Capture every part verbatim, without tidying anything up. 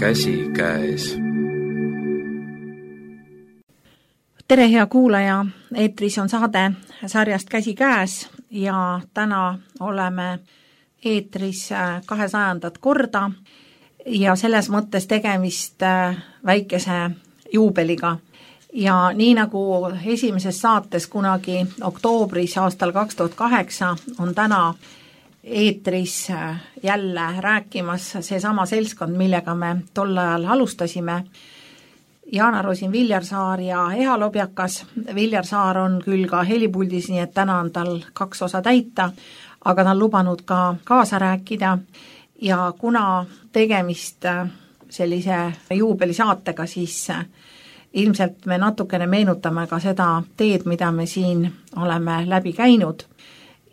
Käsi käes. Tere, hea kuulaja, eetris on saade sarjast Käsi käes ja täna oleme eetris kahesajandat korda ja selles mõttes tegemist väikese juubeliga. Ja nii nagu esimeses saates kunagi oktoobris aastal kaks tuhat kaheksa on täna eetris jälle rääkimas seesama seltskond, millega me tol ajal alustasime. Jaana Rosin Viljarsaar ja Eha Lobjakas. Viljarsaar on küll ka helipuldis, nii et täna on tal kaks osa täita, aga ta on lubanud ka kaasa rääkida. Ja kuna tegemist sellise juubelisaatega, siis ilmselt me natukene meenutame ka seda teed, mida me siin oleme läbi käinud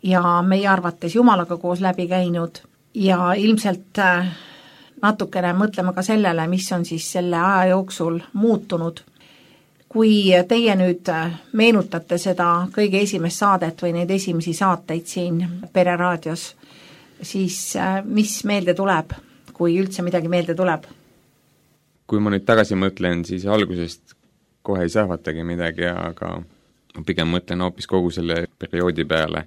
ja meie arvates Jumalaga koos läbi käinud ja ilmselt natukene mõtleme ka sellele, mis on siis selle aja jooksul muutunud. Kui teie nüüd meenutate seda kõige esimest saadet või neid esimesi saateid siin Pereraadios, siis mis meelde tuleb, kui üldse midagi meelde tuleb? Kui ma nüüd tagasi mõtlen, siis algusest kohe ei sähvatagi midagi, aga pigem mõtlen hoopis kogu selle perioodi peale,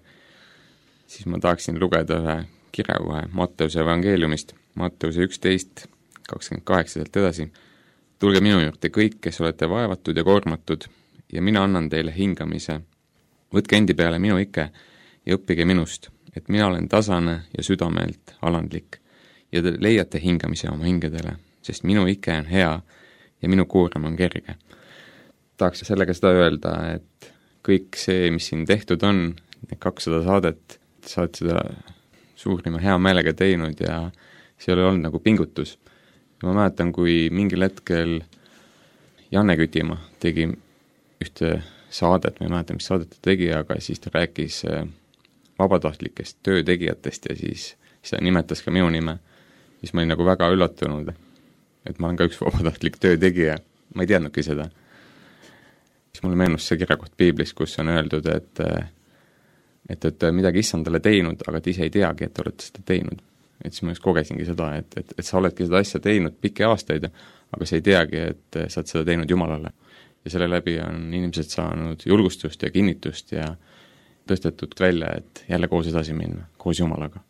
siis ma tahaksin lugeda ühe kirja kohe Matteuse evangeeliumist, Matteuse üksteist, kakskümmend kaheksa sealt edasi. Tulge minu juurde kõik, kes olete vaevatud ja koormatud, ja mina annan teile hingamise. Võtke endi peale minu ike ja õppige minust, et mina olen tasane ja südamelt alandlik, ja te leiate hingamise oma hingedele, sest minu ike on hea ja minu koorem on kerge. Tahaks sellega seda öelda, et kõik see, mis siin tehtud on, need kakssada saadet, sa oled seda suurima hea meelega teinud ja see ei ole olnud nagu pingutus. Ma mäletan, kui mingil hetkel Janne Kütimaa tegi ühte saadet, ma ei mäleta, mis saadet ta tegi, aga siis ta rääkis vabatahtlikest töötegijatest ja siis, siis ta nimetas ka minu nime. Siis ma olin nagu väga üllatunud, et ma olen ka üks vabatahtlik töötegija. Ma ei teadnudki seda. Siis mulle meenus see kirjakoht Piiblis, kus on öeldud, et et, et midagi issandale teinud, aga te ise ei teagi, et olete seda teinud. Et siis ma just kogesingi seda, et, et, et sa oledki seda asja teinud pikki aastaid, aga sa ei teagi, et sa oled seda teinud Jumalale. Ja selle läbi on inimesed saanud julgustust ja kinnitust ja tõstetud välja, et jälle koos edasi minna, koos Jumalaga.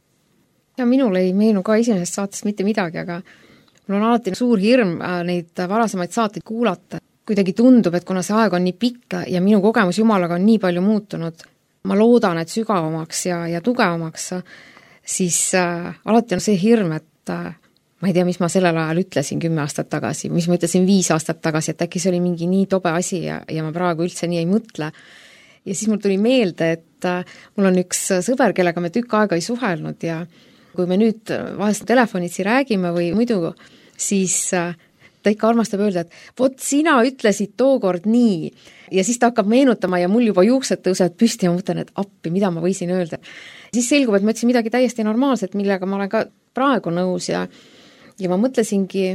Ja minul ei meenu ka esimesest saatest mitte midagi, aga mul on alati suur hirm neid varasemaid saateid kuulata. Kuidagi tundub, et kuna see aeg on nii pikk ja minu kogemus Jumalaga on nii palju muutunud, ma loodan, et sügavamaks ja, ja tugevamaks, siis äh, alati on see hirm, et äh, ma ei tea, mis ma sellel ajal ütlesin kümme aastat tagasi, mis ma ütlesin viis aastat tagasi, et äkki see oli mingi nii tobe asi ja, ja ma praegu üldse nii ei mõtle. Ja siis mul tuli meelde, et äh, mul on üks sõber, kellega me tükk aega ei suhelnud ja kui me nüüd vahest telefonitsi räägime või muidu, siis äh, ta ikka armastab öelda, et vot sina ütlesid tookord nii ja siis ta hakkab meenutama ja mul juba juuksed tõusevad püsti ja ma mõtlen, et appi, mida ma võisin öelda. Siis selgub, et ma ütlesin midagi täiesti normaalset, millega ma olen ka praegu nõus ja, ja ma mõtlesingi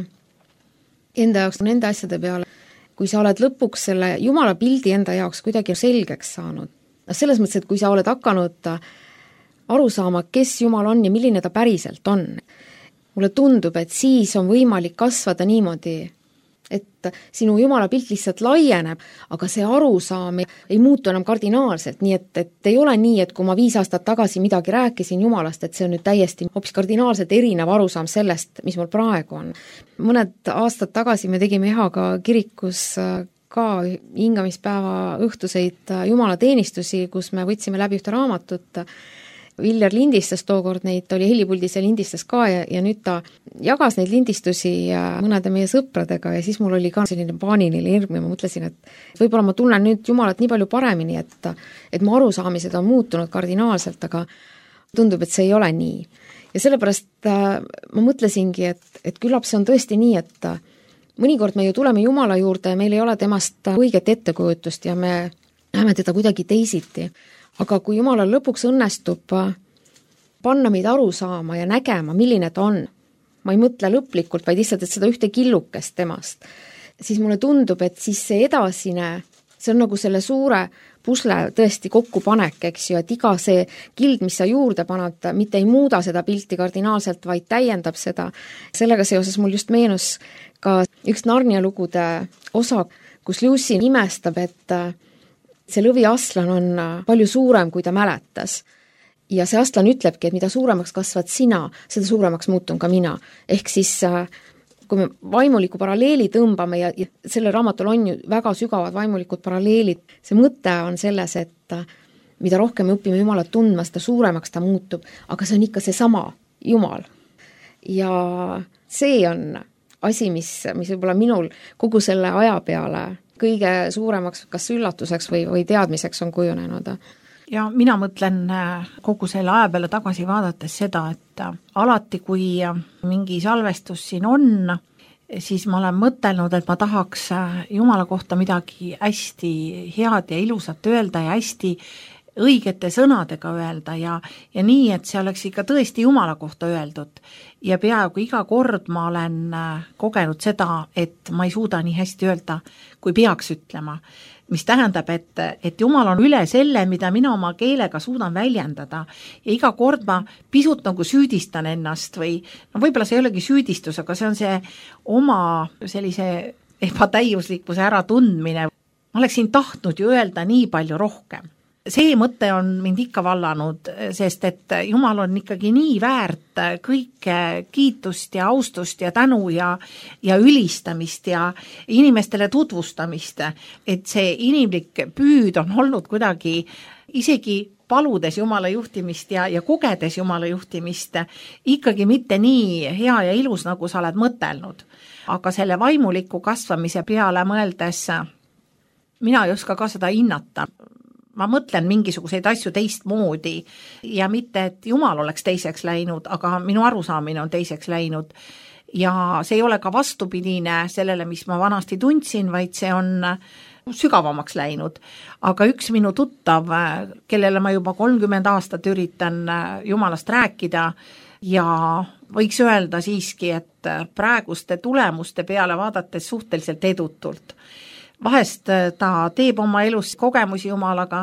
enda jaoks nende asjade peale, kui sa oled lõpuks selle Jumala pildi enda jaoks kuidagi selgeks saanud. Selles mõttes, et kui sa oled hakanud aru saama, kes Jumal on ja milline ta päriselt on, mulle tundub, et siis on võimalik kasvada niimoodi, et sinu Jumala pilt lihtsalt laieneb, aga see arusaam ei muutu enam kardinaalselt, nii et, et ei ole nii, et kui ma viis aastat tagasi midagi rääkisin Jumalast, et see on nüüd täiesti hoopis kardinaalselt erinev arusaam sellest, mis mul praegu on. Mõned aastad tagasi me tegime Ehaga kirikus ka hingamispäeva õhtuseid Jumalateenistusi, kus me võtsime läbi ühte raamatut. Viljar lindistas tookord neid, ta oli helipuldis ja lindistas ka ja, ja nüüd ta jagas neid lindistusi mõnede meie sõpradega ja siis mul oli ka selline paaniline hirm ja ma mõtlesin, et võib-olla ma tunnen nüüd Jumalat nii palju paremini, et, et mu arusaamised on muutunud kardinaalselt, aga tundub, et see ei ole nii. Ja sellepärast ma mõtlesingi, et, et küllap see on tõesti nii, et mõnikord me ju tuleme Jumala juurde ja meil ei ole temast õiget ettekujutust ja me näeme teda kuidagi teisiti. Aga kui Jumalal lõpuks õnnestub panna meid aru saama ja nägema, milline ta on, ma ei mõtle lõplikult, vaid lihtsalt, et seda ühte killukest temast, siis mulle tundub, et siis see edasine, see on nagu selle suure pusle tõesti kokkupanek, eks ju, et iga see kild, mis sa juurde panad, mitte ei muuda seda pilti kardinaalselt, vaid täiendab seda. Sellega seoses mul just meenus ka üks Narnia lugude osa, kus Lucy imestab, et see lõviaslan on palju suurem, kui ta mäletas. Ja see aslan ütlebki, et mida suuremaks kasvad sina, seda suuremaks muutun ka mina. Ehk siis, kui me vaimuliku paralleeli tõmbame ja, ja selle raamatul on ju väga sügavad vaimulikud paralleelid, see mõte on selles, et mida rohkem me õpime Jumalat tundma, seda suuremaks ta muutub, aga see on ikka see sama Jumal. Ja see on asi, mis, mis võib-olla minul kogu selle aja peale kõige suuremaks kas üllatuseks või, või teadmiseks on kujunenud. Ja mina mõtlen kogu selle aja peale tagasi vaadates seda, et alati, kui mingi salvestus siin on, siis ma olen mõtelnud, et ma tahaks Jumala kohta midagi hästi head ja ilusat öelda ja hästi õigete sõnadega öelda ja, ja nii, et see oleks ikka tõesti Jumala kohta öeldud. Ja peaaegu iga kord ma olen kogenud seda, et ma ei suuda nii hästi öelda, kui peaks ütlema. Mis tähendab, et, et Jumal on üle selle, mida mina oma keelega suudan väljendada ja iga kord ma pisut nagu süüdistan ennast või no võib-olla see ei olegi süüdistus, aga see on see oma sellise ebatäiuslikkuse äratundmine. Ma oleksin tahtnud ju öelda nii palju rohkem. See mõte on mind ikka vallanud, sest et Jumal on ikkagi nii väärt kõike kiitust ja austust ja tänu ja, ja ülistamist ja inimestele tutvustamist, et see inimlik püüd on olnud kuidagi isegi paludes Jumala juhtimist ja, ja kogedes Jumala juhtimist ikkagi mitte nii hea ja ilus, nagu sa oled mõtelnud. Aga selle vaimuliku kasvamise peale mõeldes mina ei oska ka seda hinnata. Ma mõtlen mingisuguseid asju teistmoodi ja mitte, et Jumal oleks teiseks läinud, aga minu arusaamine on teiseks läinud. Ja see ei ole ka vastupidine sellele, mis ma vanasti tundsin, vaid see on sügavamaks läinud. Aga üks minu tuttav, kellele ma juba kolmkümmend aastat üritan Jumalast rääkida ja võiks öelda siiski, et praeguste tulemuste peale vaadates suhteliselt edutult. Vahest ta teeb oma elus kogemusi Jumalaga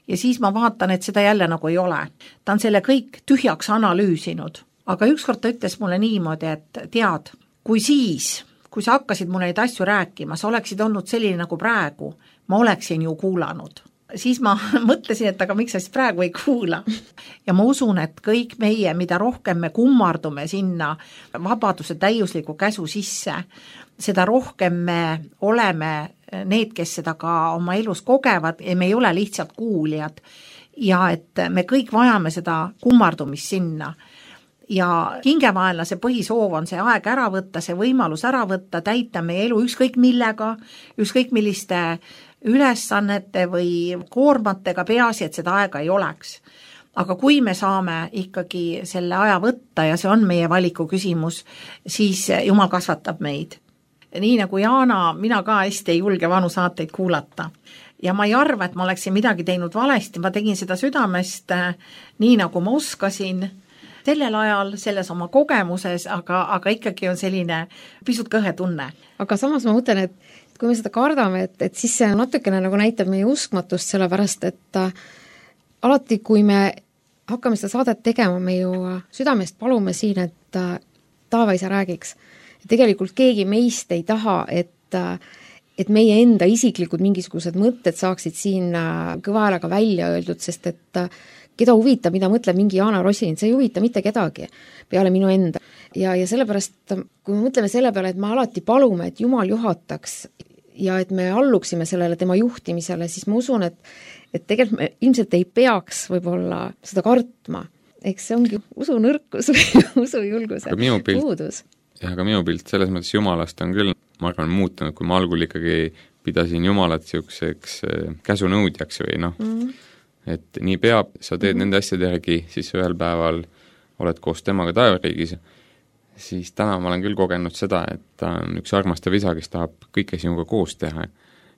ja siis ma vaatan, et seda jälle nagu ei ole. Ta on selle kõik tühjaks analüüsinud. Aga ükskord ta ütles mulle niimoodi, et tead, kui siis, kui sa hakkasid mulle neid asju rääkima, sa oleksid olnud selline nagu praegu, ma oleksin ju kuulanud. Siis ma mõtlesin, et aga miks sa siis praegu ei kuula. Ja ma usun, et kõik meie, mida rohkem me kummardume sinna vabaduse täiusliku käsu sisse, seda rohkem me oleme need, kes seda ka oma elus kogevad ja me ei ole lihtsalt kuulijad ja et me kõik vajame seda kummardumist sinna. Ja hingevaenlase põhisoov on see aeg ära võtta, see võimalus ära võtta, täita meie elu ükskõik millega, ükskõik milliste ülesannete või koormatega, peaasi, et seda aega ei oleks. Aga kui me saame ikkagi selle aja võtta ja see on meie valiku küsimus, siis Jumal kasvatab meid. Nii nagu Jaana, mina ka hästi ei julge vanu saateid kuulata. Ja ma ei arva, et ma oleksin midagi teinud valesti, ma tegin seda südamest nii, nagu ma oskasin sellel ajal, selles oma kogemuses, aga, aga ikkagi on selline pisut kõhe tunne. Aga samas ma mõtlen, et kui me seda kardame, et, et siis see natukene nagu näitab meie uskmatust, sellepärast, et äh, alati, kui me hakkame seda saadet tegema, me ju südamest palume siin, et äh, taevaisa räägiks. Tegelikult keegi meist ei taha, et, et meie enda isiklikud mingisugused mõtted saaksid siin kõva häälega välja öeldud, sest et keda huvitab, mida mõtleb mingi Jaana Rosin, see ei huvita mitte kedagi peale minu enda. Ja, ja sellepärast, kui me mõtleme selle peale, et me alati palume, et Jumal juhataks ja et me alluksime sellele tema juhtimisele, siis ma usun, et, et tegelikult me ilmselt ei peaks võib-olla seda kartma. Eks see ongi usu nõrkus või usu julguse puudus. Ja aga minu pilt selles mõttes Jumalast on küll, ma arvan, muutunud, kui ma algul ikkagi pidasin Jumalat siukseks käsunõudjaks või noh, mm. et nii peab, sa teed mm. nende asjade järgi, siis ühel päeval oled koos temaga taevariigis, siis täna ma olen küll kogenud seda, et ta on üks armastav isa, kes tahab kõike sinuga koos teha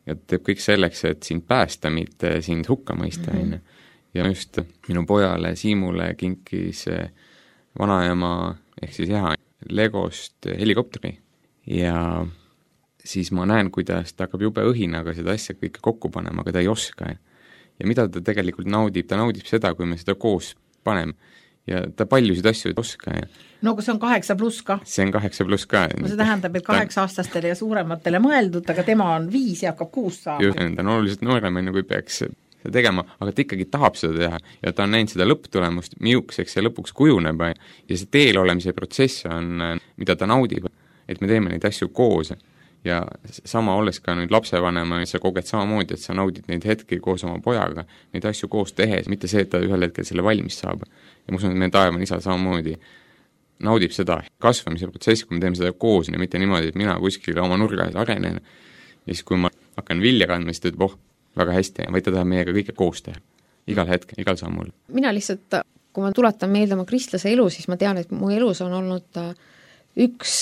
ja teeb kõik selleks, et sind päästa, mitte sind hukka mõista. Mm. Ja just minu pojale Siimule kinkis vanaema ehk siis jah, Legost helikopteri ja siis ma näen, kuidas ta hakkab jube õhinaga seda asja kõike kokku panema, aga ta ei oska. ja mida ta tegelikult naudib, ta naudib seda, kui me seda koos paneme. Ja ta paljusid asju ei oska ja no aga see on kaheksa pluss ka. See on kaheksa pluss ka. No see tähendab, et kaheksa aastastele ja suurematele mõeldud, aga tema on viis ja hakkab kuus saama. Just, ta on oluliselt noorem, kui peaks seda tegema, aga ta ikkagi tahab seda teha ja ta on näinud seda lõpptulemust, miukseks ja lõpuks kujuneb ja see teel olemise protsess on, mida ta naudib, et me teeme neid asju koos ja sama olles ka nüüd lapsevanema, sa koged samamoodi, et sa naudid neid hetki koos oma pojaga, neid asju koos tehes, mitte see, et ta ühel hetkel selle valmis saab. Ja ma usun, et meie taevane isa samamoodi naudib seda kasvamise protsessi, kui me teeme seda koos ja mitte niimoodi, et mina kuskil oma nurgas arenen ja siis kui ma hakkan vilja kandma, siis ta ütleb, oh, väga hästi, vaid ta tahab meiega kõike koos teha. Igal hetkel, igal sammul. Mina lihtsalt, kui ma tuletan meelde oma kristlase elu, siis ma tean, et mu elus on olnud üks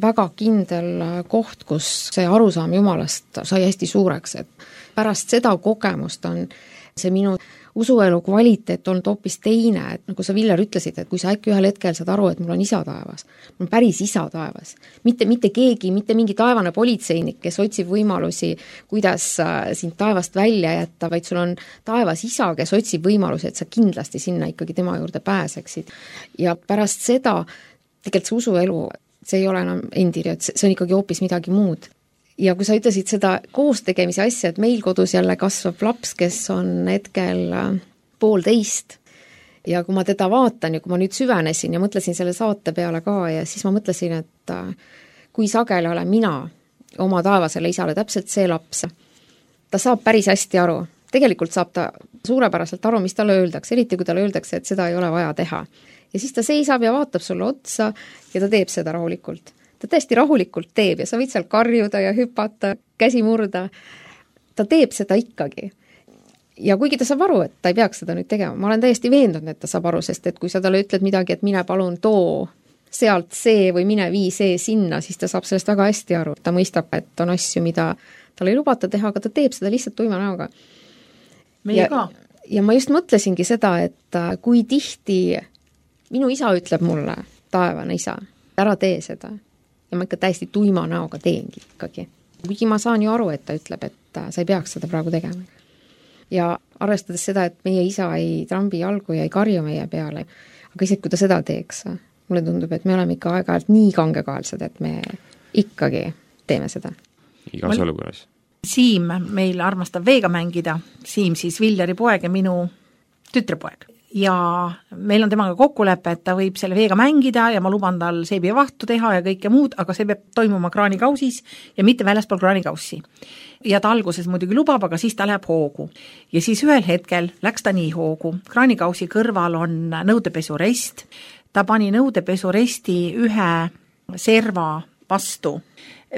väga kindel koht, kus see arusaam Jumalast sai hästi suureks, et pärast seda kogemust on see minu usuelu kvaliteet olnud hoopis teine, et nagu sa, Viljar, ütlesid, et kui sa äkki ühel hetkel saad aru, et mul on isa taevas, mul on päris isa taevas, mitte, mitte keegi, mitte mingi taevane politseinik, kes otsib võimalusi, kuidas sind taevast välja jätta, vaid sul on taevas isa, kes otsib võimalusi, et sa kindlasti sinna ikkagi tema juurde pääseksid. Ja pärast seda tegelikult see usuelu, see ei ole enam endiri, et see on ikkagi hoopis midagi muud. Ja kui sa ütlesid seda koostegemise asja, et meil kodus jälle kasvab laps, kes on hetkel poolteist ja kui ma teda vaatan ja kui ma nüüd süvenesin ja mõtlesin selle saate peale ka ja siis ma mõtlesin, et kui sageli olen mina oma taevasele isale täpselt see laps, ta saab päris hästi aru. Tegelikult saab ta suurepäraselt aru, mis talle öeldakse, eriti kui talle öeldakse, et seda ei ole vaja teha. Ja siis ta seisab ja vaatab sulle otsa ja ta teeb seda rahulikult. Ta tõesti rahulikult teeb ja sa võid seal karjuda ja hüpata, käsi murda. Ta teeb seda ikkagi. Ja kuigi ta saab aru, et ta ei peaks seda nüüd tegema, ma olen täiesti veendunud, et ta saab aru, sest et kui sa talle ütled midagi, et mine palun too sealt see või mine vii see sinna, siis ta saab sellest väga hästi aru. Ta mõistab, et on asju, mida tal ei lubata teha, aga ta teeb seda lihtsalt tuima näoga. Meie ja, ka. Ja ma just mõtlesingi seda, et kui tihti minu isa ütleb mulle, taevane isa, ära tee seda. Ja ma ikka täiesti tuima näoga teengi ikkagi. Kuigi ma saan ju aru, et ta ütleb, et sa ei peaks seda praegu tegema. Ja arvestades seda, et meie isa ei trambi jalgu ja ei karju meie peale, aga isegi kui ta seda teeks, mulle tundub, et me oleme ikka aeg-ajalt nii kangekaelsed, et me ikkagi teeme seda. Igas olukorras. Siim meil armastab veega mängida, Siim siis Viljari poeg ja minu tütrepoeg. Ja meil on temaga kokkulepe, et ta võib selle veega mängida ja ma luban tal seebi ja vahtu teha ja kõike muud, aga see peab toimuma kraanikausis ja mitte väljaspool kraanikaussi. Ja ta alguses muidugi lubab, aga siis ta läheb hoogu. Ja siis ühel hetkel läks ta nii hoogu. Kraanikausi kõrval on nõudepesurest. Ta pani nõudepesuresti ühe serva vastu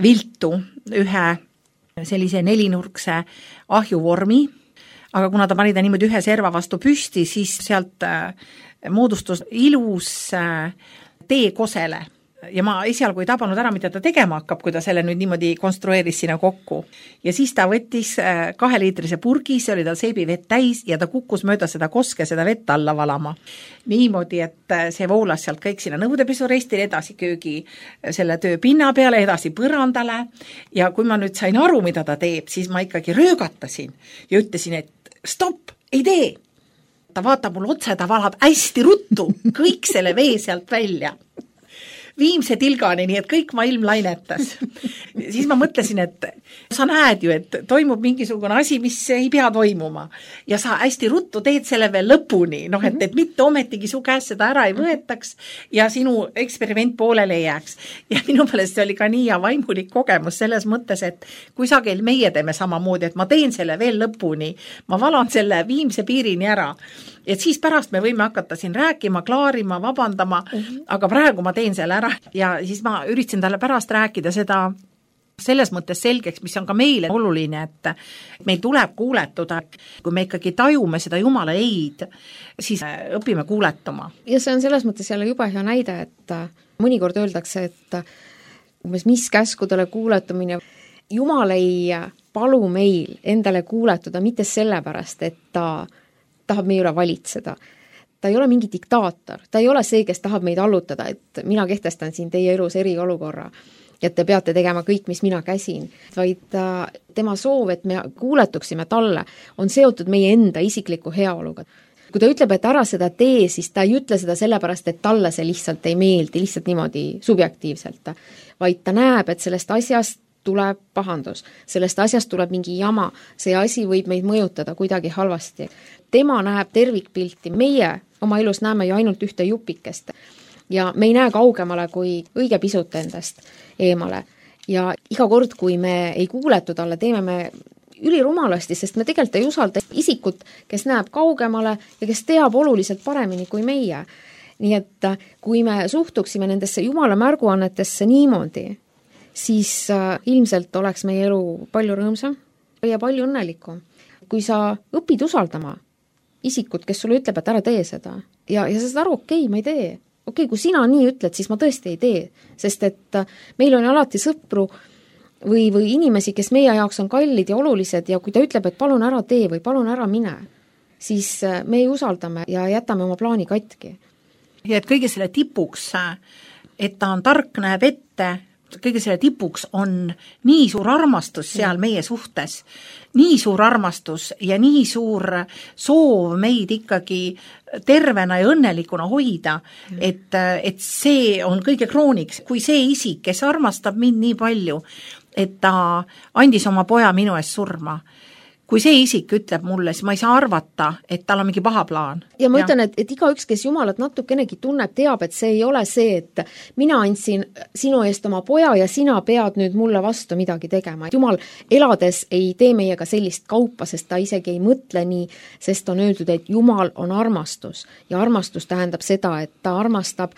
viltu, ühe sellise nelinurkse ahjuvormi, aga kuna ta pani ta niimoodi ühe serva vastu püsti, siis sealt moodustus ilus tee kosele. Ja ma esialgu ei tabanud ära, mida ta tegema hakkab, kui ta selle nüüd niimoodi konstrueeris sinna kokku. Ja siis ta võttis kaheliitrise purgi, see oli tal seebivett täis ja ta kukkus mööda seda koske seda vett alla valama. Niimoodi, et see voolas sealt kõik sinna nõudepesurestile, edasi köögi selle töö pinna peale, edasi põrandale. Ja kui ma nüüd sain aru, mida ta teeb, siis ma ikkagi röögatasin ja ütlesin, et stopp, ei tee. Ta vaatab mul otse, ta valab hästi ruttu kõik selle vee sealt välja. Viimse tilgani, nii et kõik maailm lainetas. Siis ma mõtlesin, et sa näed ju, et toimub mingisugune asi, mis ei pea toimuma. Ja sa hästi ruttu teed selle veel lõpuni, noh, et, et mitte ometigi su käest seda ära ei võetaks ja sinu eksperiment poolele ei jääks. Ja minu meelest see oli ka nii ja vaimulik kogemus selles mõttes, et kui sageli meie teeme samamoodi, et ma teen selle veel lõpuni, ma valan selle viimse piirini ära. Et siis pärast me võime hakata siin rääkima, klaarima, vabandama, mm-hmm. aga praegu ma teen selle ära ja siis ma üritasin talle pärast rääkida seda selles mõttes selgeks, mis on ka meile oluline, et meil tuleb kuuletuda, kui me ikkagi tajume seda Jumala eid, siis õpime kuuletuma. Ja see on selles mõttes jälle jube hea näide, et mõnikord öeldakse, et umbes mis käskudele kuuletumine, Jumal ei palu meil endale kuuletuda mitte sellepärast, et ta tahab meie üle valitseda. Ta ei ole mingi diktaator, ta ei ole see, kes tahab meid allutada, et mina kehtestan siin teie elus eriolukorra, et te peate tegema kõik, mis mina käsin, vaid tema soov, et me kuuletuksime talle, on seotud meie enda isikliku heaoluga. Kui ta ütleb, et ära seda tee, siis ta ei ütle seda sellepärast, et talle see lihtsalt ei meeldi, lihtsalt niimoodi subjektiivselt, vaid ta näeb, et sellest asjast tuleb pahandus, sellest asjast tuleb mingi jama, see asi võib meid mõjutada kuidagi halvasti. Tema näeb tervikpilti, meie oma elus näeme ju ainult ühte jupikest ja me ei näe kaugemale kui õige pisut endast eemale. Ja iga kord, kui me ei kuuletu talle, teeme me ülirumalasti, sest me tegelikult ei usalda isikut, kes näeb kaugemale ja kes teab oluliselt paremini kui meie. Nii et kui me suhtuksime nendesse Jumala märguannetesse niimoodi, siis ilmselt oleks meie elu palju rõõmsam ja palju õnnelikum. Kui sa õpid usaldama isikut, kes sulle ütleb, et ära tee seda ja, ja sa saad aru, okei, ma ei tee. Okei, kui sina nii ütled, siis ma tõesti ei tee, sest et meil on alati sõpru või, või inimesi, kes meie jaoks on kallid ja olulised ja kui ta ütleb, et palun ära tee või palun ära mine, siis me ei usaldame ja jätame oma plaani katki. Ja et kõige selle tipuks, et ta on tark, näeb ette, kõige selle tipuks on nii suur armastus seal meie suhtes, nii suur armastus ja nii suur soov meid ikkagi tervena ja õnnelikuna hoida, et, et see on kõige krooniks, kui see isik, kes armastab mind nii palju, et ta andis oma poja minu eest surma. Kui see isik ütleb mulle, siis ma ei saa arvata, et tal on mingi paha plaan. Ja ma ja. ütlen, et, et iga üks, kes Jumalat natukenegi tunneb, teab, et see ei ole see, et mina andsin sinu eest oma poja ja sina pead nüüd mulle vastu midagi tegema. Jumal elades ei tee meiega sellist kaupa, sest ta isegi ei mõtle nii, sest on öeldud, et Jumal on armastus ja armastus tähendab seda, et ta armastab,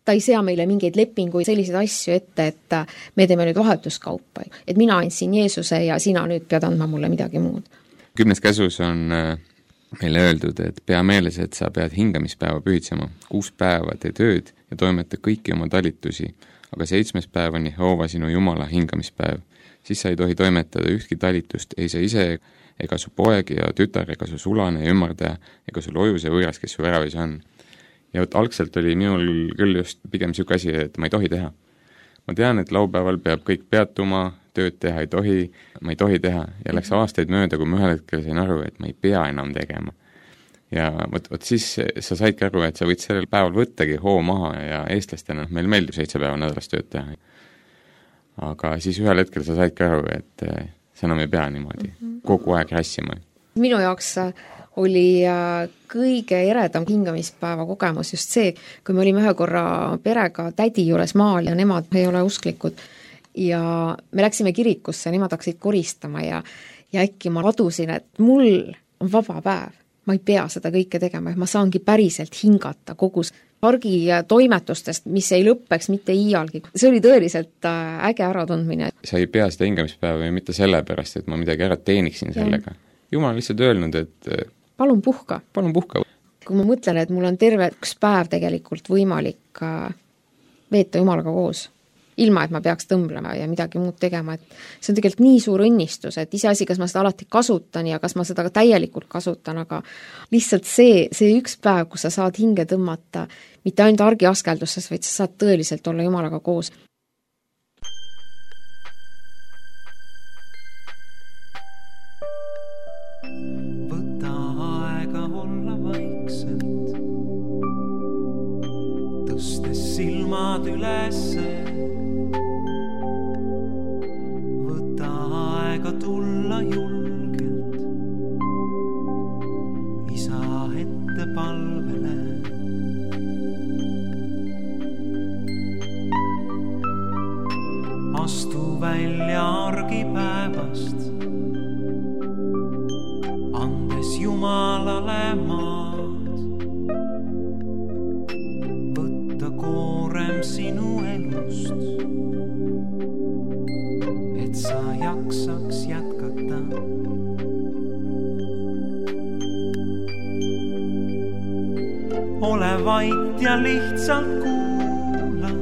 ta ei sea meile mingeid lepinguid, selliseid asju ette, et me teeme nüüd vahetuskaupa. Et mina andsin Jeesuse ja sina nüüd pead andma mulle midagi muud. Kümnes käsus on meile öeldud, et pea meeles, et sa pead hingamispäeva pühitsema. Kuus päeva tee tööd ja toimeta kõiki oma talitusi, aga seitsmes päev on Jehova sinu Jumala hingamispäev. Siis sa ei tohi toimetada ühtki talitust, ei sa ise ega su poeg ja tütar ega su sulane ja ümardaja ega su lojus ja võõras, kes su väravis on. Ja võt algselt oli minul küll just pigem siuke asi, et ma ei tohi teha. Ma tean, et laupäeval peab kõik peatuma, tööd teha ei tohi, ma ei tohi teha ja läks aastaid mööda, kui ma ühel hetkel sain aru, et ma ei pea enam tegema. Ja võt, võt siis sa saidki aru, et sa võid sellel päeval võttagi hoo maha ja eestlastena meil meeldib seitse päeva nädalas tööd teha. Aga siis ühel hetkel sa saidki aru, et sa enam ei pea niimoodi kogu aeg rassima. Minu jaoks oli kõige eredam hingamispäeva kogemus just see, kui me olime ühe korra perega tädi juures maal ja nemad ei ole usklikud ja me läksime kirikusse, nemad hakkasid koristama ja, ja äkki ma adusin, et mul on vaba päev, ma ei pea seda kõike tegema, ma saangi päriselt hingata kogu pargi toimetustest, mis ei lõppeks mitte iialgi. See oli tõeliselt äge äratundmine. Sa ei pea seda hingamispäeva ju mitte sellepärast, et ma midagi ära teeniksin sellega. Jumal on lihtsalt öelnud, et palun puhka. Palun puhka. Kui ma mõtlen, et mul on terve üks päev tegelikult võimalik veeta Jumalaga koos, ilma et ma peaks tõmblema ja midagi muud tegema, et see on tegelikult nii suur õnnistus, et iseasi, kas ma seda alati kasutan ja kas ma seda ka täielikult kasutan, aga lihtsalt see, see üks päev, kus sa saad hinge tõmmata, mitte ainult argiaskelduses, vaid sa saad tõeliselt olla Jumalaga koos. Silmad ülesse, võta aega tulla julgelt, isa ette palvele. Astu välja argipäevast, andes Jumalale maad. Koorem sinu elust, et sa jaksaks jätkata. Ole vait ja lihtsalt kuula,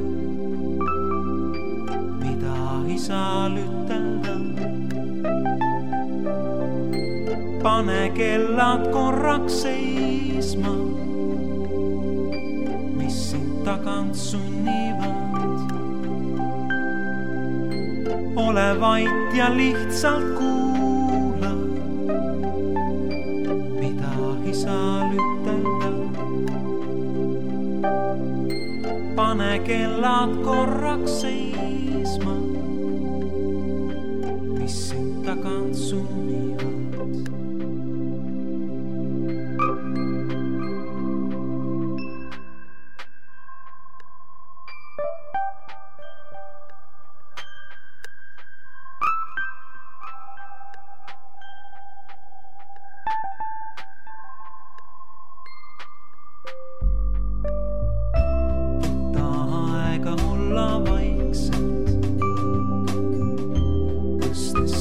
mida isal ütelda. Pane kellad korraks seisma, tagant sunnivad. ole vait ja lihtsalt kuula, mida isal ütelda. Pane kellad korraks seisma, mis sind tagant sunnivad.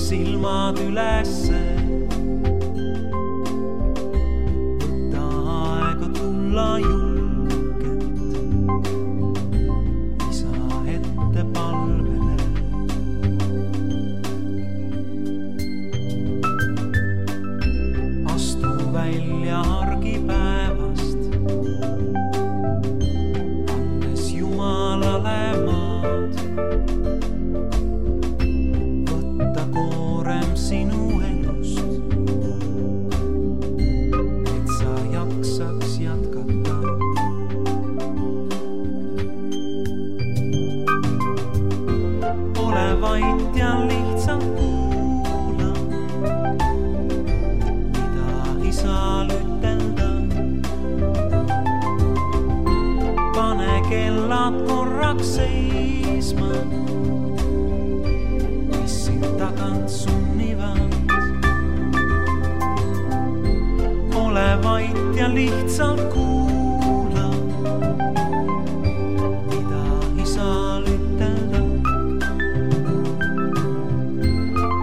Silmad ülesse, võta aega tulla julgelt isa ette palvele. Astu välja argipäevast, annes Jumalale maad. Sinu elust, et sa jaksaks jätkata. Ole vait ja lihtsalt kuula, mida isal ütelda. Pane kellad korraks seisma, mis sind tagant sunnivad. Ole vait ja lihtsalt kuula, mida isal ütelda.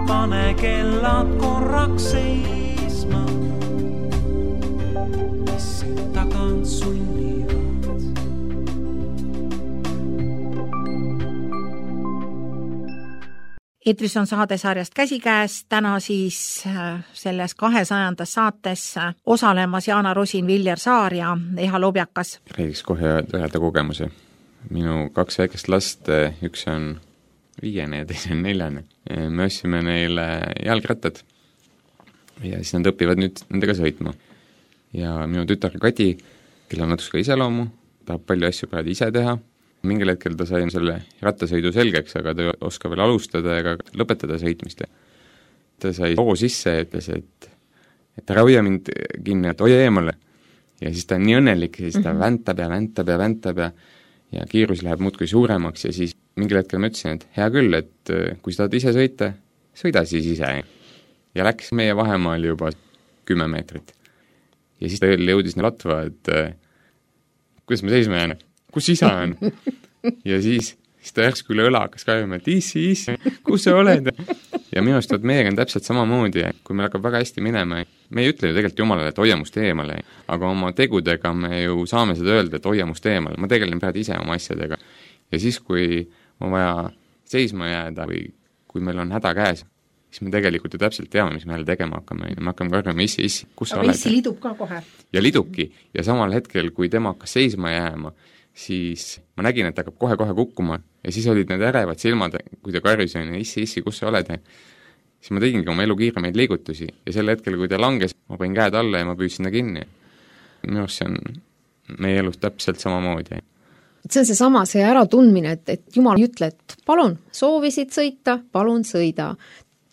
Pane kellad korraks seisma, mis sind tagant sunnivad. Eetris on saadesarjast Käsikäes, täna siis selles kahesajandas saates osalemas Jaana Rosin, Viljar Saar ja Eha Lobjakas. Räägiks kohe üheda kogemuse. Minu kaks väikest last, üks on viiene ja teine on neljane. Me ostsime neile jalgrattad ja siis nad õpivad nüüd nendega sõitma. Ja minu tütar Kadi, kel on natuke iseloomu, tahab palju asju praegu ise teha. Mingil hetkel ta sai selle rattasõidu selgeks, aga ta ei oska veel alustada ega lõpetada sõitmist. Ta sai hoo sisse ja ütles, et, et ära hoia mind kinni, et hoia eemale. Ja siis ta on nii õnnelik, siis ta väntab ja väntab ja väntab ja, ja kiirus läheb muudkui suuremaks ja siis mingil hetkel ma ütlesin, et hea küll, et kui sa tahad ise sõita, sõida siis ise. Ja läks meie vahemaal juba kümme meetrit. Ja siis ta jõudis nii latva, et kuidas ma seisma jään, kus isa on? Ja siis, siis ta järsku üle õla hakkas kaevama, et issi, issi, kus sa oled? Ja minu arust meiega on täpselt samamoodi, kui meil hakkab väga hästi minema, me ei ütle ju tegelikult Jumalale, et hoia must eemale, aga oma tegudega me ju saame seda öelda, et hoia must eemale, ma tegelen praegu ise oma asjadega. Ja siis, kui on vaja seisma jääda või kui meil on häda käes, siis me tegelikult ju täpselt teame, mis me jälle tegema hakkame. Me hakkame karjama, issi, issi, kus sa oled? Aga issi lidub ka kohe. Ja lidubki. Ja samal hetkel, kui tema hakkas seisma jääma, siis ma nägin, et ta hakkab kohe-kohe kukkuma ja siis olid need ärevad silmad, kui ta karjus on ja issi, issi, kus sa oled? Siis ma tegingi oma elu kiiremaid liigutusi ja sel hetkel, kui ta langes, ma panin käed alla ja ma püüdsin ta kinni. Minu arust see on meie elus täpselt samamoodi. See on see sama, see äratundmine, et, et Jumal ei ütle, et palun, soovisid sõita, palun sõida.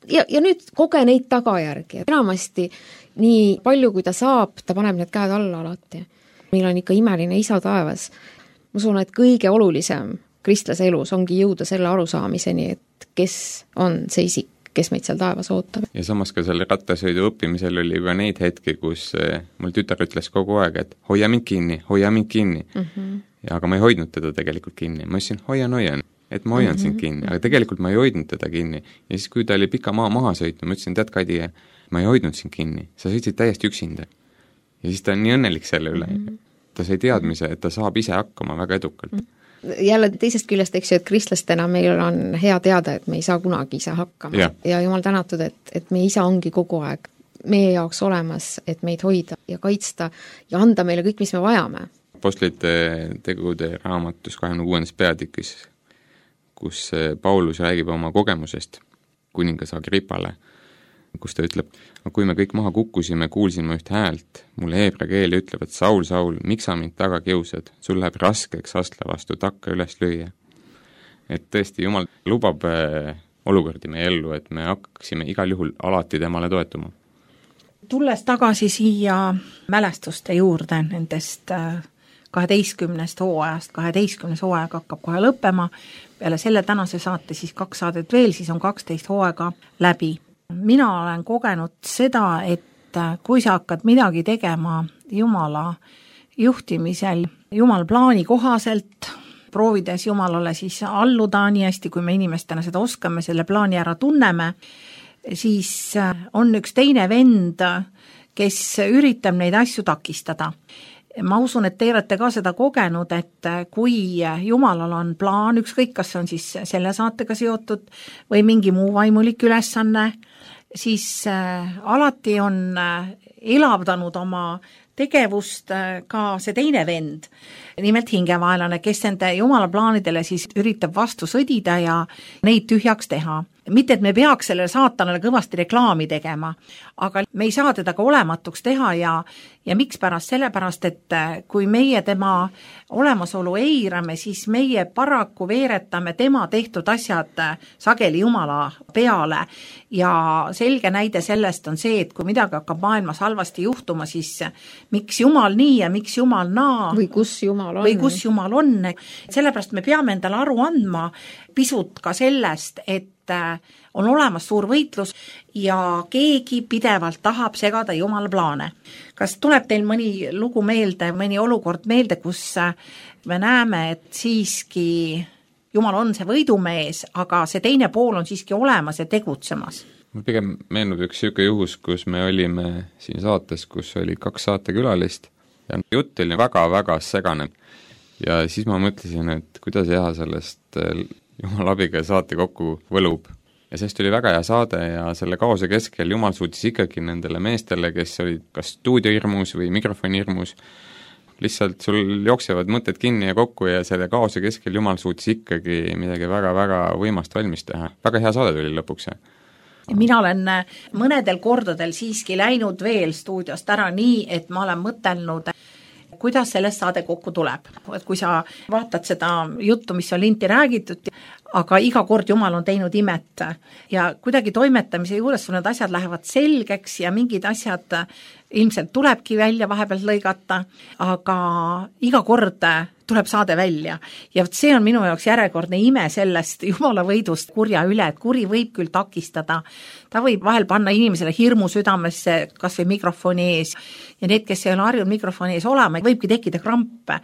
Ja, ja nüüd koge neid tagajärgi. Enamasti nii palju, kui ta saab, ta paneb need käed alla alati. Meil on ikka imeline isa taevas. Ma usun, et kõige olulisem kristlase elus ongi jõuda selle arusaamiseni, et kes on see isik, kes meid seal taevas ootab. Ja samas ka selle rattasõidu õppimisel oli juba neid hetki, kus mul tütar ütles kogu aeg, et hoia mind kinni, hoia mind kinni. Mm-hmm. Ja aga ma ei hoidnud teda tegelikult kinni. Ma ütlesin, hoian, hoian, et ma hoian mm-hmm. sind kinni, aga tegelikult ma ei hoidnud teda kinni. Ja siis, kui ta oli pika maa maha sõitnud, ma ütlesin, tead Kadi, ma ei hoidnud sind kinni, sa sõitsid täiesti üksinda. Ja siis ta on nii õnnelik selle üle. Mm-hmm. Ta sai teadmise, et ta saab ise hakkama väga edukalt. Jälle teisest küljest, eks ju, et kristlastena meil on hea teada, et me ei saa kunagi ise hakkama. Ja, ja Jumal tänatud, et, et meie isa ongi kogu aeg meie jaoks olemas, et meid hoida ja kaitsta ja anda meile kõik, mis me vajame. Apostlite tegude raamatus kahekümne kuuendas peatükis, kus Paulus räägib oma kogemusest kuningas Agripale, kus ta ütleb, kui me kõik maha kukkusime, kuulsin ma üht häält, mulle heebra keel ütleb, et Saul, Saul, miks sa mind taga kiusad, sul läheb raskeks astla vastu takka üles lüüa. Et tõesti, Jumal lubab olukordi meie ellu, et me hakkaksime igal juhul alati temale toetuma. Tulles tagasi siia mälestuste juurde nendest kaheteistkümnest hooajast, kaheteistkümnes hooaeg hakkab kohe lõppema, peale selle tänase saate siis kaks saadet veel, siis on kaksteist hooaega läbi. Mina olen kogenud seda, et kui sa hakkad midagi tegema Jumala juhtimisel, Jumal plaani kohaselt, proovides Jumalale siis alluda nii hästi, kui me inimestena seda oskame, selle plaani ära tunneme, siis on üks teine vend, kes üritab neid asju takistada. Ma usun, et te olete ka seda kogenud, et kui Jumalal on plaan, ükskõik kas on siis selle saatega seotud või mingi muu vaimulik ülesanne, siis alati on elavdanud oma tegevust ka see teine vend, nimelt hingevaelane, kes nende Jumala plaanidele siis üritab vastu sõdida ja neid tühjaks teha. Mitte, et me peaks sellele saatanale kõvasti reklaami tegema, aga me ei saa teda ka olematuks teha ja, ja miks pärast? Sellepärast, et kui meie tema olemasolu eirame, siis meie paraku veeretame tema tehtud asjad sageli Jumala peale ja selge näide sellest on see, et kui midagi hakkab maailmas halvasti juhtuma, siis miks Jumal nii ja miks Jumal naa või kus Jumal on, või kus Jumal on. Sellepärast me peame endale aru andma pisut ka sellest, et on olemas suur võitlus ja keegi pidevalt tahab segada Jumala plaane. Kas tuleb teil mõni lugu meelde, mõni olukord meelde, kus me näeme, et siiski Jumal on see võidumees, aga see teine pool on siiski olemas ja tegutsemas? Mul pigem meenub üks siuke juhus, kus me olime siin saates, kus oli kaks saatekülalist ja jutt oli väga-väga segane. Ja siis ma mõtlesin, et kuidas hea sellest Jumala abiga saate kokku võlub. Ja sest oli väga hea saade ja selle kaose keskel Jumal suutis ikkagi nendele meestele, kes olid kas stuudiohirmus või mikrofonihirmus, lihtsalt sul jooksevad mõtted kinni ja kokku ja selle kaose keskel Jumal suutis ikkagi midagi väga-väga võimast valmis teha. Väga hea saade tuli lõpuks. Mina olen mõnedel kordadel siiski läinud veel stuudiost ära nii, et ma olen mõtelnud, kuidas sellest saade kokku tuleb. Et kui sa vaatad seda juttu, mis on linti räägitud, aga iga kord Jumal on teinud imet ja kuidagi toimetamise juures sul need asjad lähevad selgeks ja mingid asjad ilmselt tulebki välja vahepeal lõigata, aga iga kord tuleb saade välja. Ja see on minu jaoks järjekordne ime sellest Jumala võidust kurja üle, et kuri võib küll takistada. Ta võib vahel panna inimesele hirmu südamesse, kas või mikrofoni ees. Ja need, kes ei ole harjunud mikrofoni ees olema, võibki tekkida krampe.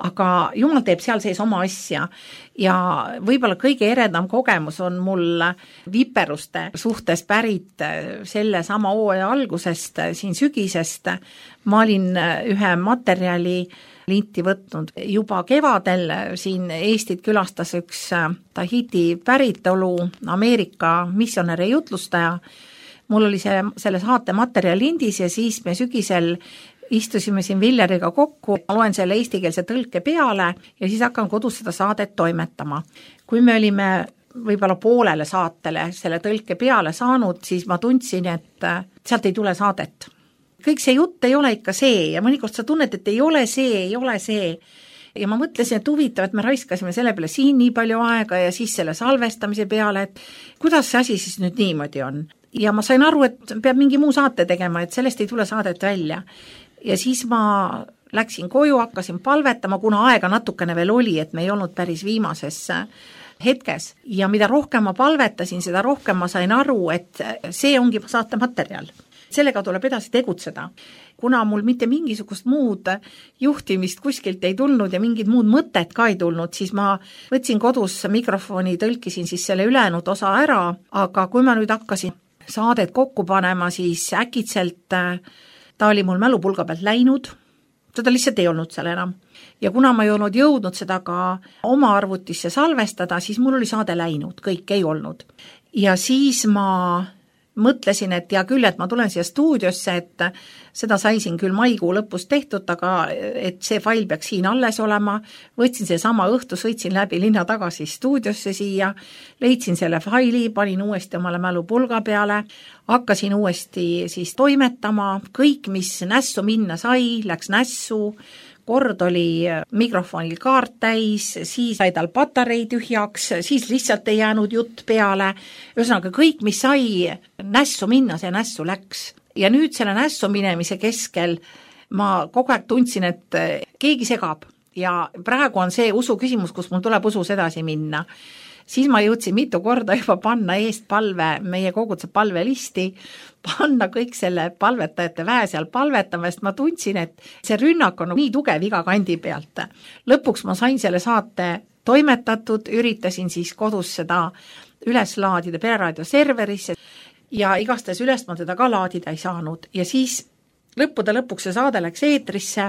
Aga Jumal teeb seal sees oma asja. Ja võib-olla kõige eredam kogemus on mul viperuste suhtes pärit selle sama hooaja algusest, siin sügisest. Ma olin ühe materjali linti võtnud. Juba kevadel siin Eestit külastas üks Tahiti päritolu Ameerika missionäri jutlustaja. Mul oli see, selle saate materjal lindis ja siis me sügisel istusime siin Villeriga kokku, loen selle eestikeelse tõlke peale ja siis hakkan kodus seda saadet toimetama. Kui me olime võib-olla poolele saatele selle tõlke peale saanud, siis ma tundsin, et sealt ei tule saadet. Kõik see jutt ei ole ikka see ja mõnikord sa tunned, et ei ole see, ei ole see. Ja ma mõtlesin, et huvitav, et me raiskasime selle peale siin nii palju aega ja siis selle salvestamise peale, et kuidas see asi siis nüüd niimoodi on. Ja ma sain aru, et peab mingi muu saate tegema, et sellest ei tule saadet välja. Ja siis ma läksin koju, hakkasin palvetama, kuna aega natukene veel oli, et me ei olnud päris viimases hetkes. Ja mida rohkem ma palvetasin, seda rohkem ma sain aru, et see ongi saate materjal. Sellega tuleb edasi tegutseda. Kuna mul mitte mingisugust muud juhtimist kuskilt ei tulnud ja mingid muud mõtted ka ei tulnud, siis ma võtsin kodus mikrofoni, tõlkisin siis selle ülejäänud osa ära, aga kui ma nüüd hakkasin saadet kokku panema, siis äkitselt ta oli mul mälupulga pealt läinud, seda lihtsalt ei olnud seal enam. Ja kuna ma ei olnud jõudnud seda ka oma arvutisse salvestada, siis mul oli saade läinud, kõik ei olnud. Ja siis ma mõtlesin, et hea küll, et ma tulen siia stuudiosse, et seda sai siin küll maikuu lõpus tehtud, aga et see fail peaks siin alles olema, võtsin see sama õhtu, sõitsin läbi linna tagasi stuudiosse siia, leidsin selle faili, panin uuesti omale mälupulga peale, hakkasin uuesti siis toimetama, kõik, mis nässu minna sai, läks nässu, kord oli mikrofonil kaart täis, siis sai tal patarei tühjaks, siis lihtsalt ei jäänud jutt peale, ühesõnaga kõik, mis sai nässu minna, see nässu läks. Ja nüüd selle nässu minemise keskel ma kogu aeg tundsin, et keegi segab ja praegu on see usu küsimus, kus mul tuleb usus edasi minna. Siis ma jõudsin mitu korda juba panna eest palve, meie koguduse palvelisti, panna kõik selle palvetajate väe seal palvetama, sest ma tundsin, et see rünnak on nii tugev iga kandi pealt. Lõpuks ma sain selle saate toimetatud, üritasin siis kodus seda üles laadida Pereraadio serverisse ja igastahes üles ma teda ka laadida ei saanud ja siis lõppude lõpuks see saade läks eetrisse,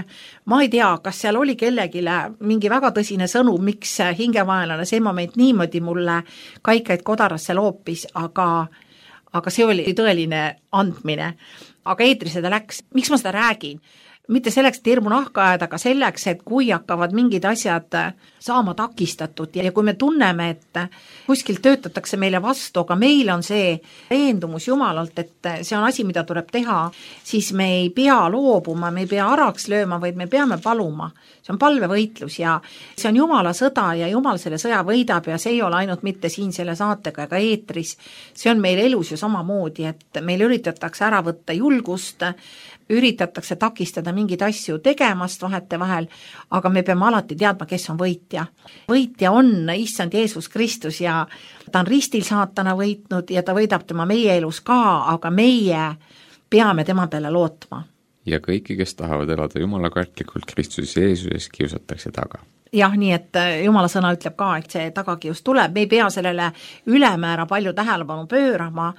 ma ei tea, kas seal oli kellegile mingi väga tõsine sõnum, miks hingemaelane see moment niimoodi mulle kaikaid kodarasse loopis, aga, aga see oli tõeline andmine. Aga eetrisse ta läks, miks ma seda räägin? Mitte selleks, et hirmu nahka ajada, aga selleks, et kui hakkavad mingid asjad saama takistatud ja kui me tunneme, et kuskil töötatakse meile vastu, aga meil on see veendumus Jumalalt, et see on asi, mida tuleb teha, siis me ei pea loobuma, me ei pea araks lööma, vaid me peame paluma. See on palvevõitlus ja see on Jumala sõda ja Jumal selle sõja võidab ja see ei ole ainult mitte siin selle saatega ega eetris. See on meil elus ju samamoodi, et meil üritatakse ära võtta julgust, üritatakse takistada mingeid asju tegemast vahete vahel, aga me peame alati teadma, kes on võitja. Võitja on Issand Jeesus Kristus ja ta on ristil saatana võitnud ja ta võidab tema meie elus ka, aga meie peame tema peale lootma. Ja kõiki, kes tahavad elada Jumala kartlikult Kristus Jeesuses, kiusatakse taga. Jah, nii et Jumala sõna ütleb ka, et see tagakius tuleb, me ei pea sellele ülemäära palju tähelepanu pöörama,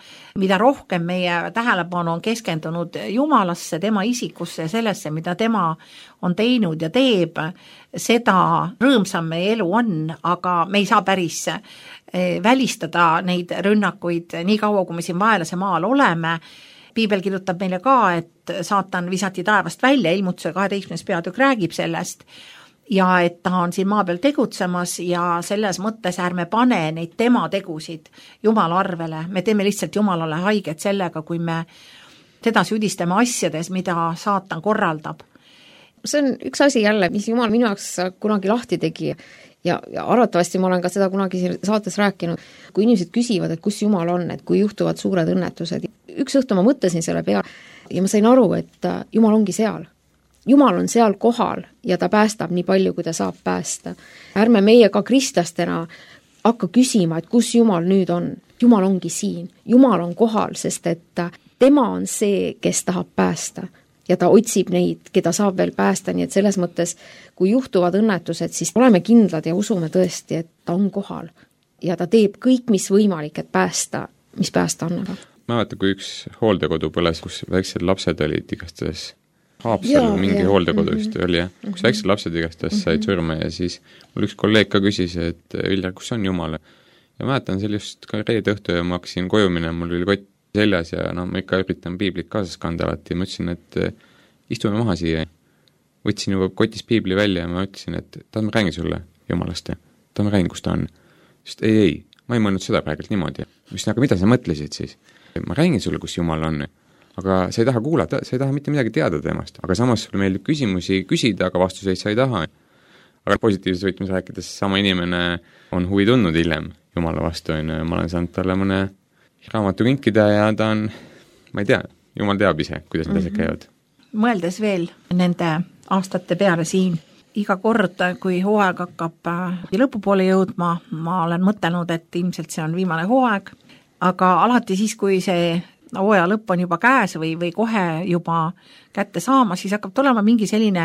mida rohkem meie tähelepanu on keskendunud Jumalasse, tema isikusse ja sellesse, mida tema on teinud ja teeb, seda rõõmsam meie elu on, aga me ei saa päris välistada neid rünnakuid nii kaua, kui me siin vaelase maal oleme. Piibel kirjutab meile ka, et saatan visati taevast välja, ilmutuse kaheteistkümnes peatükk räägib sellest, ja et ta on siin maa peal tegutsemas ja selles mõttes ärme pane neid tema tegusid Jumala arvele. Me teeme lihtsalt Jumalale haiget sellega, kui me teda süüdistame asjades, mida saatan korraldab. See on üks asi jälle, mis Jumal minu jaoks kunagi lahti tegi ja, ja arvatavasti ma olen ka seda kunagi saates rääkinud, kui inimesed küsivad, et kus Jumal on, et kui juhtuvad suured õnnetused. Üks õhtu ma mõtlesin selle peale ja ma sain aru, et Jumal ongi seal. Jumal on seal kohal ja ta päästab nii palju, kui ta saab päästa. Ärme meie ka kristlastena hakka küsima, et kus Jumal nüüd on. Jumal ongi siin. Jumal on kohal, sest et tema on see, kes tahab päästa. Ja ta otsib neid, keda saab veel päästa, nii et selles mõttes, kui juhtuvad õnnetused, siis oleme kindlad ja usume tõesti, et ta on kohal. Ja ta teeb kõik, mis võimalik, et päästa, mis päästa annab. Ma vaata, kui üks hooldekodu põles, kus väiksed lapsed olid igastahes Haapsal mingi ja. hooldekodu vist mm-hmm. oli, jah. Kus väiksed lapsed igastahes mm-hmm. said surma ja siis mul üks kolleeg ka küsis, et Viljar, kus on Jumal? Ja ma mäletan seal just ka reede õhtu ja ma hakkasin koju minema, mul oli kott seljas ja no, ma ikka üritan piiblit kaasas kanda alati ja ma ütlesin, et istume maha siia. Võtsin juba kotis piibli välja ja ma ütlesin, et tahan ma räägin sulle Jumalast ja tahan ma räägin, kus ta on. Sest ei, ei, ma ei mõelnud seda praegult niimoodi. Mis, aga mida sa mõtlesid siis? Ma räägin sulle, kus Jumal on. Aga sa ei taha kuulata, sa ei taha mitte midagi teada temast, aga samas sulle meeldib küsimusi küsida, aga vastuseid sa ei taha. Aga positiivses võtmes rääkides sama inimene on huvi tundnud hiljem Jumala vastu, ja ma olen saanud talle mõne raamatu kinkida ja ta on, ma ei tea, Jumal teab ise, kuidas need asjad käivad. Mõeldes veel nende aastate peale siin, iga kord, kui hooaeg hakkab lõpupoole jõudma, ma olen mõtelnud, et ilmselt see on viimane hooaeg, aga alati siis, kui see hooaja lõpp on juba käes või, või kohe juba kätte saama, siis hakkab tulema mingi selline,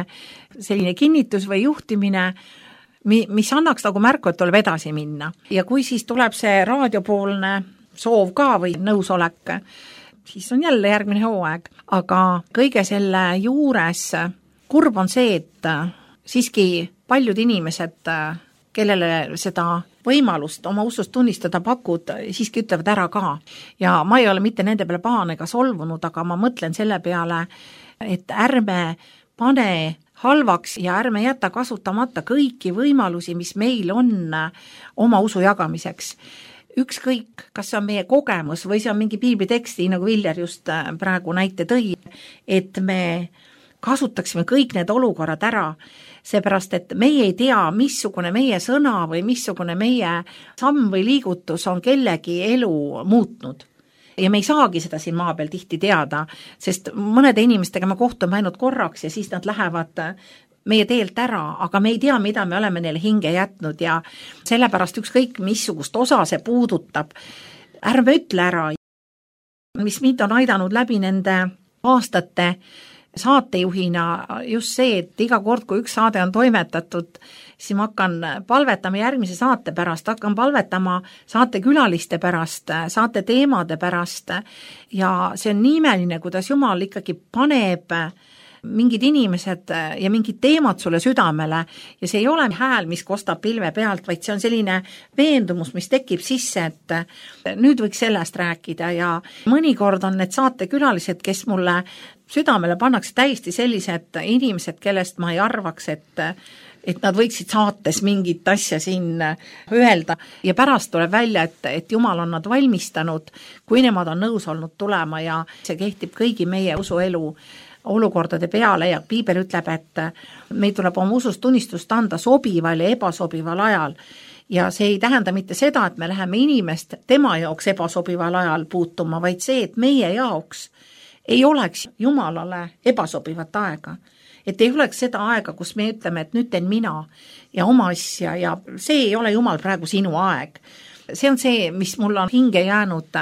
selline kinnitus või juhtimine, mis annaks nagu märku, et tuleb edasi minna. Ja kui siis tuleb see raadiopoolne soov ka või nõusolek, siis on jälle järgmine hooaeg. Aga kõige selle juures kurb on see, et siiski paljud inimesed kellele seda võimalust oma usust tunnistada pakud, siiski ütlevad ära ka. Ja ma ei ole mitte nende peale pahane ega solvunud, aga ma mõtlen selle peale, et ärme pane halvaks ja ärme jätta kasutamata kõiki võimalusi, mis meil on oma usu jagamiseks. Ükskõik, kas see on meie kogemus või see on mingi piibliteksti, nagu Viljar just praegu näite tõi, et me kasutaksime kõik need olukorrad ära, seepärast, et meie ei tea, missugune meie sõna või missugune meie samm või liigutus on kellegi elu muutnud. Ja me ei saagi seda siin maa peal tihti teada, sest mõnede inimestega me kohtume ainult korraks ja siis nad lähevad meie teelt ära, aga me ei tea, mida me oleme neile hinge jätnud ja sellepärast ükskõik missugust osa see puudutab, ärme ütle ära, mis mind on aidanud läbi nende aastate saatejuhina just see, et iga kord, kui üks saade on toimetatud, siis ma hakkan palvetama järgmise saate pärast, hakkan palvetama saatekülaliste pärast, saate teemade pärast ja see on nii imeline, kuidas Jumal ikkagi paneb mingid inimesed ja mingid teemad sulle südamele ja see ei ole hääl, mis kostab pilve pealt, vaid see on selline veendumus, mis tekib sisse, et nüüd võiks sellest rääkida ja mõnikord on need saatekülalised, kes mulle südamele pannakse täiesti sellised inimesed, kellest ma ei arvaks, et et nad võiksid saates mingit asja siin öelda ja pärast tuleb välja, et, et Jumal on nad valmistanud, kui nemad on nõus olnud tulema ja see kehtib kõigi meie usuelu olukordade peale ja piibel ütleb, et meil tuleb oma usust tunnistust anda sobival ja ebasobival ajal. Ja see ei tähenda mitte seda, et me läheme inimest tema jaoks ebasobival ajal puutuma, vaid see, et meie jaoks ei oleks Jumalale ebasobivat aega. Et ei oleks seda aega, kus me ütleme, et nüüd teen mina ja oma asja ja see ei ole Jumal praegu sinu aeg. See on see, mis mul on hinge jäänud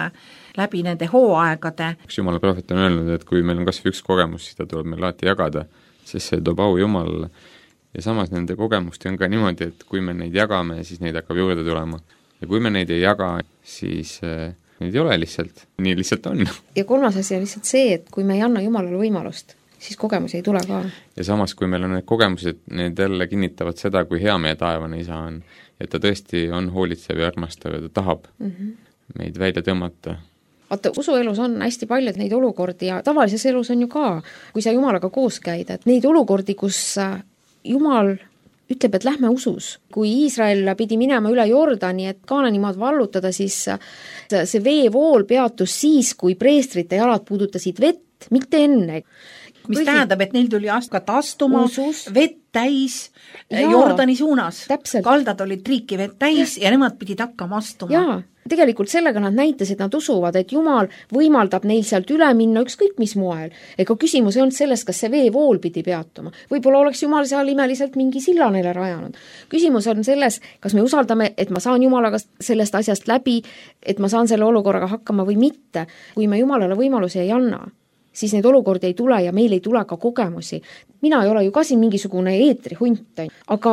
läbi nende hooaegade. Üks Jumala prohvet on öelnud, et kui meil on kas või üks kogemus, seda tuleb meil alati jagada, sest see toob au Jumalale. Ja samas nende kogemusti on ka niimoodi, et kui me neid jagame, siis neid hakkab juurde tulema. Ja kui me neid ei jaga, siis neid ei ole lihtsalt. Nii lihtsalt on. Ja kolmas asi on lihtsalt see, et kui me ei anna Jumalale võimalust, siis kogemusi ei tule ka. Ja samas, kui meil on need kogemused, need jälle kinnitavad seda, kui hea meie taevane isa on. Ja ta tõesti on hoolitsev ja armastav ja ta tahab mm -hmm. meid välja tõmmata. Vaata, usuelus on hästi palju neid olukordi ja tavalises elus on ju ka, kui sa Jumalaga koos käid, et neid olukordi, kus Jumal ütleb, et lähme usus. Kui Iisrael pidi minema üle Jordani, et Kaananimaad vallutada, siis see veevool peatus siis, kui preestrite jalad puudutasid vett, mitte enne. Mis Kõigi... tähendab, et neil tuli askat astuma, usus. Vett täis Jaa, Jordani suunas. Täpselt. Kaldad olid triiki vett täis ja, ja nemad pidid hakkama astuma. Jaa, tegelikult sellega nad näitasid, nad usuvad, et Jumal võimaldab neil sealt üle minna ükskõik mis moel. Ega küsimus ei olnud selles, kas see veevool pidi peatuma. Võib-olla oleks Jumal seal imeliselt mingi silla neile rajanud. Küsimus on selles, kas me usaldame, et ma saan Jumalaga sellest asjast läbi, et ma saan selle olukorraga hakkama või mitte. Kui me Jumalale võimalusi ei anna, siis neid olukordi ei tule ja meil ei tule ka kogemusi. Mina ei ole ju ka siin mingisugune eetrihunt, aga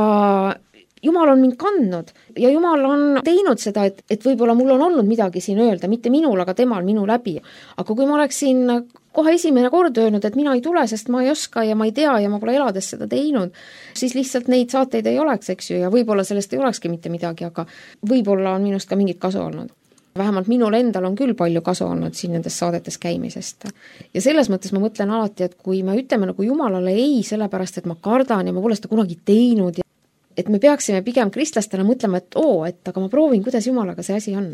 Jumal on mind kandnud ja Jumal on teinud seda, et, et võib-olla mul on olnud midagi siin öelda, mitte minul, aga temal minu läbi. Aga kui ma oleksin kohe esimene kord öelnud, et mina ei tule, sest ma ei oska ja ma ei tea ja ma pole elades seda teinud, siis lihtsalt neid saateid ei oleks, eks ju, ja võib-olla sellest ei olekski mitte midagi, aga võib-olla on minust ka mingit kasu olnud. Vähemalt minul endal on küll palju kasu olnud siin nendes saadetes käimisest. Ja selles mõttes ma mõtlen alati, et kui me ütleme nagu Jumalale ei, sellepärast, et ma kardan ja ma pole seda kunagi teinud, ja et me peaksime pigem kristlastena mõtlema, et oo, et aga ma proovin, kuidas Jumalaga see asi on.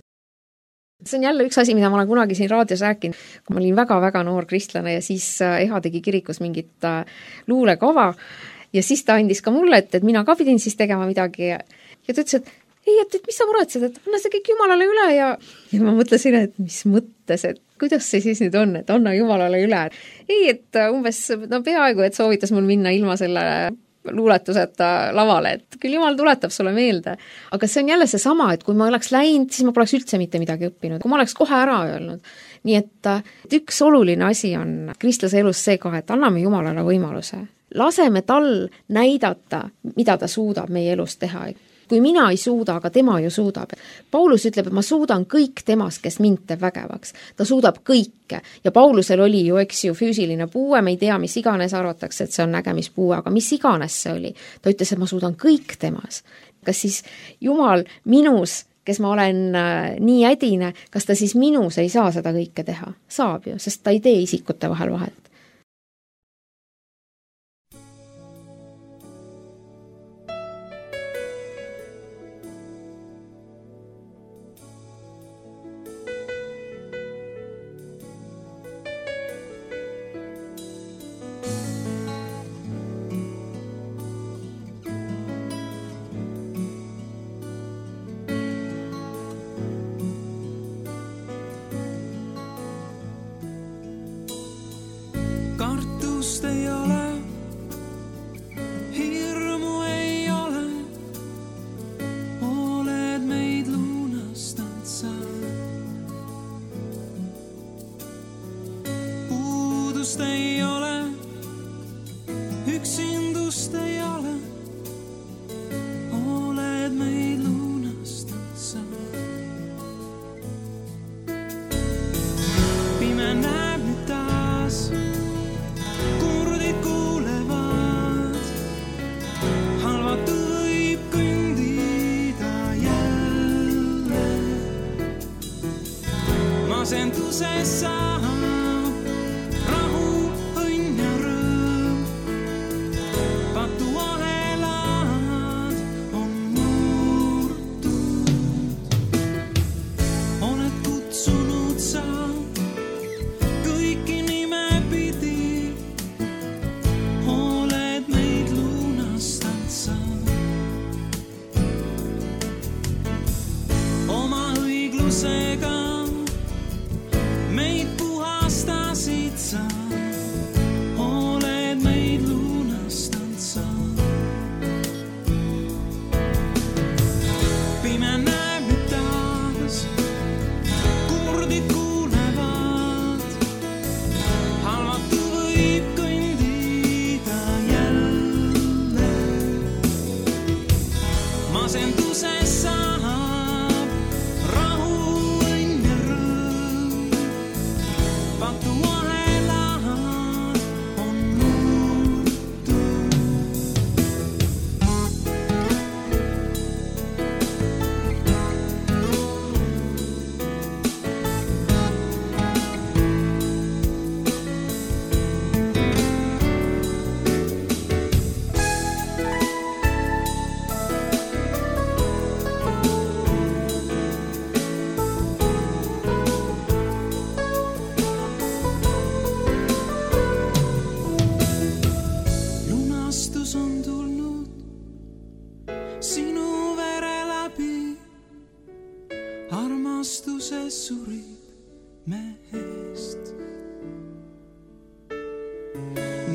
See on jälle üks asi, mida ma olen kunagi siin raadios rääkinud, kui ma olin väga-väga noor kristlane ja siis Eha tegi kirikus mingit luulekava ja siis ta andis ka mulle, et, et mina ka pidin siis tegema midagi ja, ja ta ütles, et ei, et, et mis sa muretsed, et anna see kõik Jumalale üle ja, ja ma mõtlesin, et mis mõttes, et kuidas see siis nüüd on, et anna Jumalale üle. Ei, et umbes no peaaegu, et soovitas mul minna ilma selle luuletuseta lavale, et küll Jumal tuletab sulle meelde. Aga see on jälle see sama, et kui ma oleks läinud, siis ma poleks üldse mitte midagi õppinud. Kui ma oleks kohe ära öelnud. Nii et, et üks oluline asi on kristlase elus see ka, et anname Jumalale võimaluse. Laseme tal näidata, mida ta suudab meie elus teha. Kui mina ei suuda, aga tema ju suudab. Paulus ütleb, et ma suudan kõik temas, kes mind teeb vägevaks. Ta suudab kõike. Ja Paulusel oli ju, eks ju, füüsiline puue, me ei tea, mis iganes arvatakse, et see on nägemispuue, aga mis iganes see oli. Ta ütles, et ma suudan kõik temas. kas siis Jumal minus, kes ma olen nii ädine, kas ta siis minus ei saa seda kõike teha? Saab ju, sest ta ei tee isikute vahel vahet.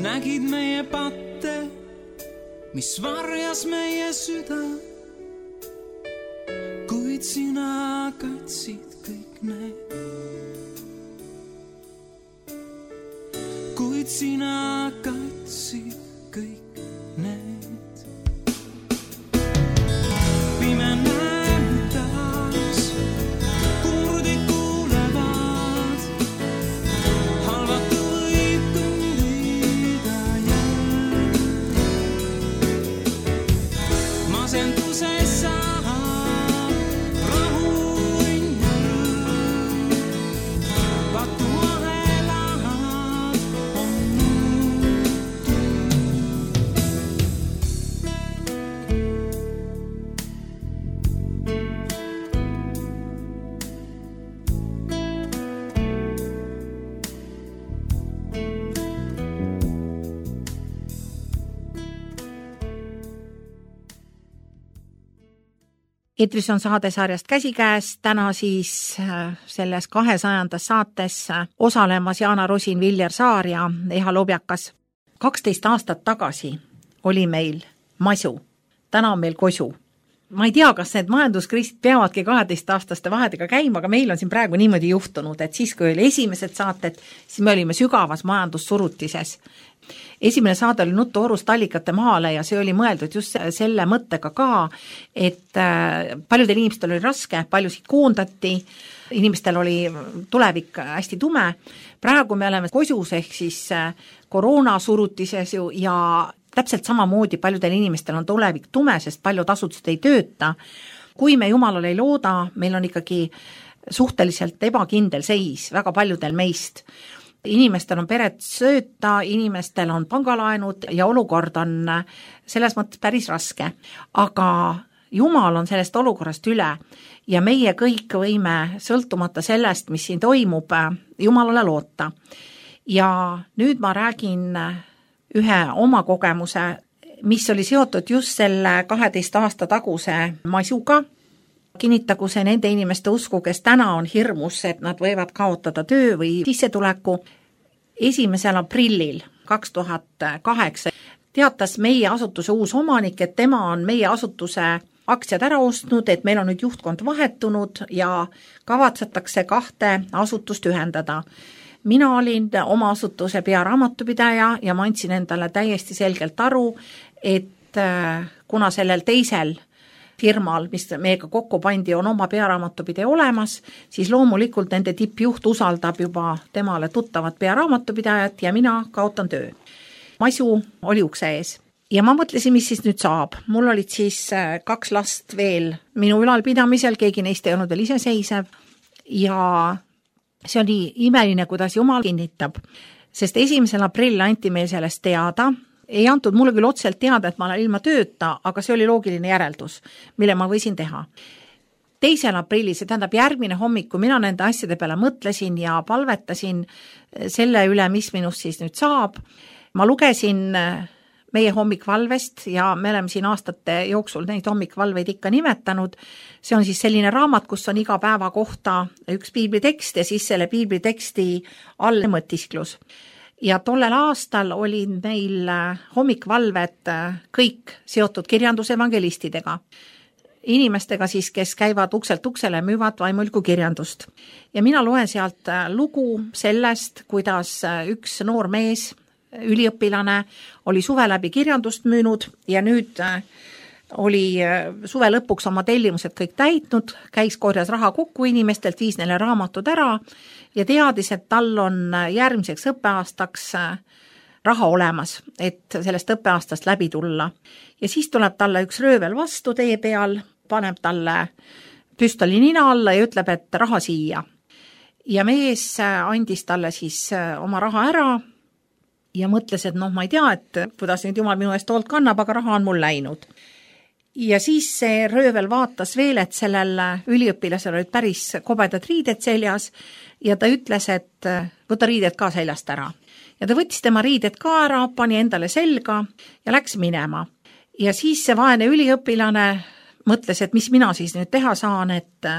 Nägid meie patte, mis varjas meie süda, kuid sina katsid kõik need. Kuid sina katsid kõik need. Pime näeb taas, kurdid kuulevad, halvatu võib kõndida jälle. Masenduse saab rahu õnn ja rõõm, patu ahelad on muutud. Eetris on saadesarjast Käsikäes, täna siis selles kahesajandas saates osalemas Jaana Rosin, Viljar Saar ja Eha Lobjakas. kaksteist aastat tagasi oli meil masu, täna on meil kosu. Ma ei tea, kas need majanduskriisid peavadki kaheteistaastaste vahedega käima, aga meil on siin praegu niimoodi juhtunud, et siis, kui oli esimesed saated, siis me olime sügavas majandussurutises. Esimene saade oli Nuttu orust allikate maale ja see oli mõeldud just selle mõttega ka, et paljudel inimestel oli raske, paljusid koondati, inimestel oli tulevik hästi tume. Praegu me oleme kosus ehk siis koroona surutises ju ja täpselt samamoodi paljudel inimestel on tulevik tume, sest paljud asutused ei tööta. Kui me Jumalale ei looda, meil on ikkagi suhteliselt ebakindel seis väga paljudel meist. Inimestel on peret sööta, inimestel on pangalaenud ja olukord on selles mõttes päris raske. Aga Jumal on sellest olukorrast üle ja meie kõik võime sõltumata sellest, mis siin toimub, Jumalale loota. Ja nüüd ma räägin ühe oma kogemuse, mis oli seotud just selle kaheteist aasta taguse masuga. Kinnitagu see nende inimeste usku, kes täna on hirmus, et nad võivad kaotada töö või sissetuleku. esimesel aprillil kaks tuhat kaheksa teatas meie asutuse uus omanik, et tema on meie asutuse aktsiad ära ostnud, et meil on nüüd juhtkond vahetunud ja kavatsetakse kahte asutust ühendada. Mina olin oma asutuse pearaamatupidaja ja ma andsin endale täiesti selgelt aru, et kuna sellel teisel firmal, mis meiega kokku pandi, on oma pearaamatupidaja olemas, siis loomulikult nende tippjuht usaldab juba temale tuttavat pearaamatupidajat ja mina kaotan töö. Masu oli ukse ees. Ja ma mõtlesin, mis siis nüüd saab. Mul olid siis kaks last veel minu ülalpidamisel, keegi neist ei olnud veel iseseisev ja see oli imeline, kuidas Jumal kinnitab, sest esimesel aprill anti meil sellest teada. Ei antud mulle küll otselt teada, et ma olen ilma tööta, aga see oli loogiline järeldus, mille ma võisin teha. teisel aprillil, see tähendab järgmine hommik, kui mina nende asjade peale mõtlesin ja palvetasin selle üle, mis minust siis nüüd saab. Ma lugesin meie hommikvalvest ja me oleme siin aastate jooksul neid hommikvalveid ikka nimetanud. See on siis selline raamat, kus on iga päeva kohta üks piiblitekst ja siis selle piibliteksti all mõtisklus. Ja tollel aastal olid meil hommikvalved kõik seotud kirjandusevangelistidega. Inimestega siis, kes käivad ukselt uksele, müüvad vaimuliku kirjandust. Ja mina loen sealt lugu sellest, kuidas üks noor mees, üliõpilane, oli suve läbi kirjandust müünud ja nüüd oli suve lõpuks oma tellimused kõik täitnud, käis korjas raha kokku inimestelt, viis neile raamatud ära ja teadis, et tal on järgmiseks õppeaastaks raha olemas, et sellest õppeaastast läbi tulla. Ja siis tuleb talle üks röövel vastu tee peal, paneb talle püstoli nina alla ja ütleb, et raha siia. Ja mees andis talle siis oma raha ära ja mõtles, et noh, ma ei tea, et kuidas nüüd Jumal minu eest hoolt kannab, aga raha on mul läinud. Ja siis see röövel vaatas veel, et sellel üliõpilasel olid päris kobedad riided seljas ja ta ütles, et võta riided ka seljast ära. Ja ta võttis tema riided ka ära, pani endale selga ja läks minema. Ja siis see vaene üliõpilane mõtles, et mis mina siis nüüd teha saan, et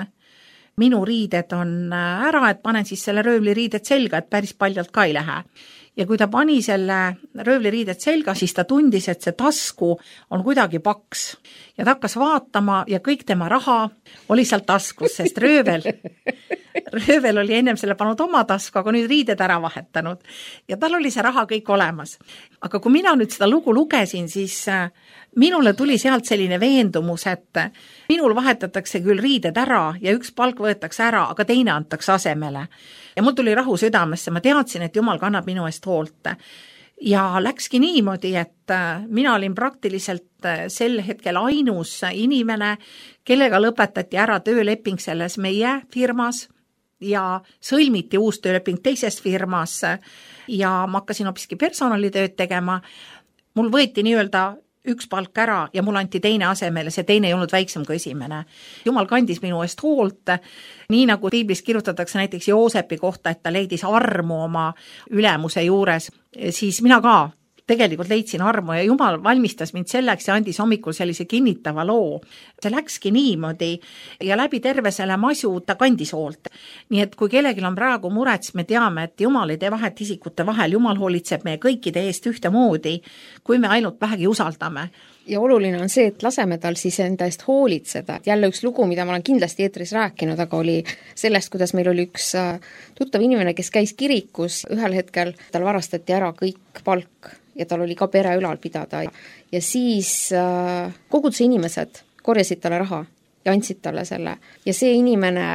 minu riided on ära, et panen siis selle röövli riided selga, et päris paljalt ka ei lähe. Ja kui ta pani selle röövli riided selga, siis ta tundis, et see tasku on kuidagi paks. Ja ta hakkas vaatama ja kõik tema raha oli seal taskus, sest röövel, röövel oli ennem selle pannud oma tasku, aga nüüd riided ära vahetanud. Ja tal oli see raha kõik olemas. Aga kui mina nüüd seda lugu lugesin, siis minule tuli sealt selline veendumus, et minul vahetatakse küll riided ära ja üks palk võetakse ära, aga teine antakse asemele. Ja mul tuli rahu südamesse, ma teadsin, et Jumal kannab minu eest hoolt. Ja läkski niimoodi, et mina olin praktiliselt sel hetkel ainus inimene, kellega lõpetati ära tööleping selles meie firmas ja sõlmiti uus tööleping teises firmas ja ma hakkasin hoopiski personalitööd tegema. Mul võeti nii-öelda üks palk ära ja mul anti teine asemele, see teine ei olnud väiksem kui esimene. Jumal kandis minu eest hoolt, nii nagu piiblis kirjutatakse näiteks Joosepi kohta, et ta leidis armu oma ülemuse juures, siis mina ka tegelikult leidsin armu ja Jumal valmistas mind selleks ja andis hommikul sellise kinnitava loo. See läkski niimoodi ja läbi terve selle masu ta kandis hoolt. Nii et kui kellelgi on praegu muret, siis me teame, et Jumal ei tee vahet isikute vahel, Jumal hoolitseb meie kõikide eest ühtemoodi, kui me ainult vähegi usaldame. Ja oluline on see, et laseme tal siis enda eest hoolitseda. Jälle üks lugu, mida ma olen kindlasti eetris rääkinud, aga oli sellest, kuidas meil oli üks tuttav inimene, kes käis kirikus. Ühel hetkel tal varastati ära kõik palk ja tal oli ka pere ülal pidada. Ja siis koguduse inimesed korjasid talle raha ja andsid talle selle. Ja see inimene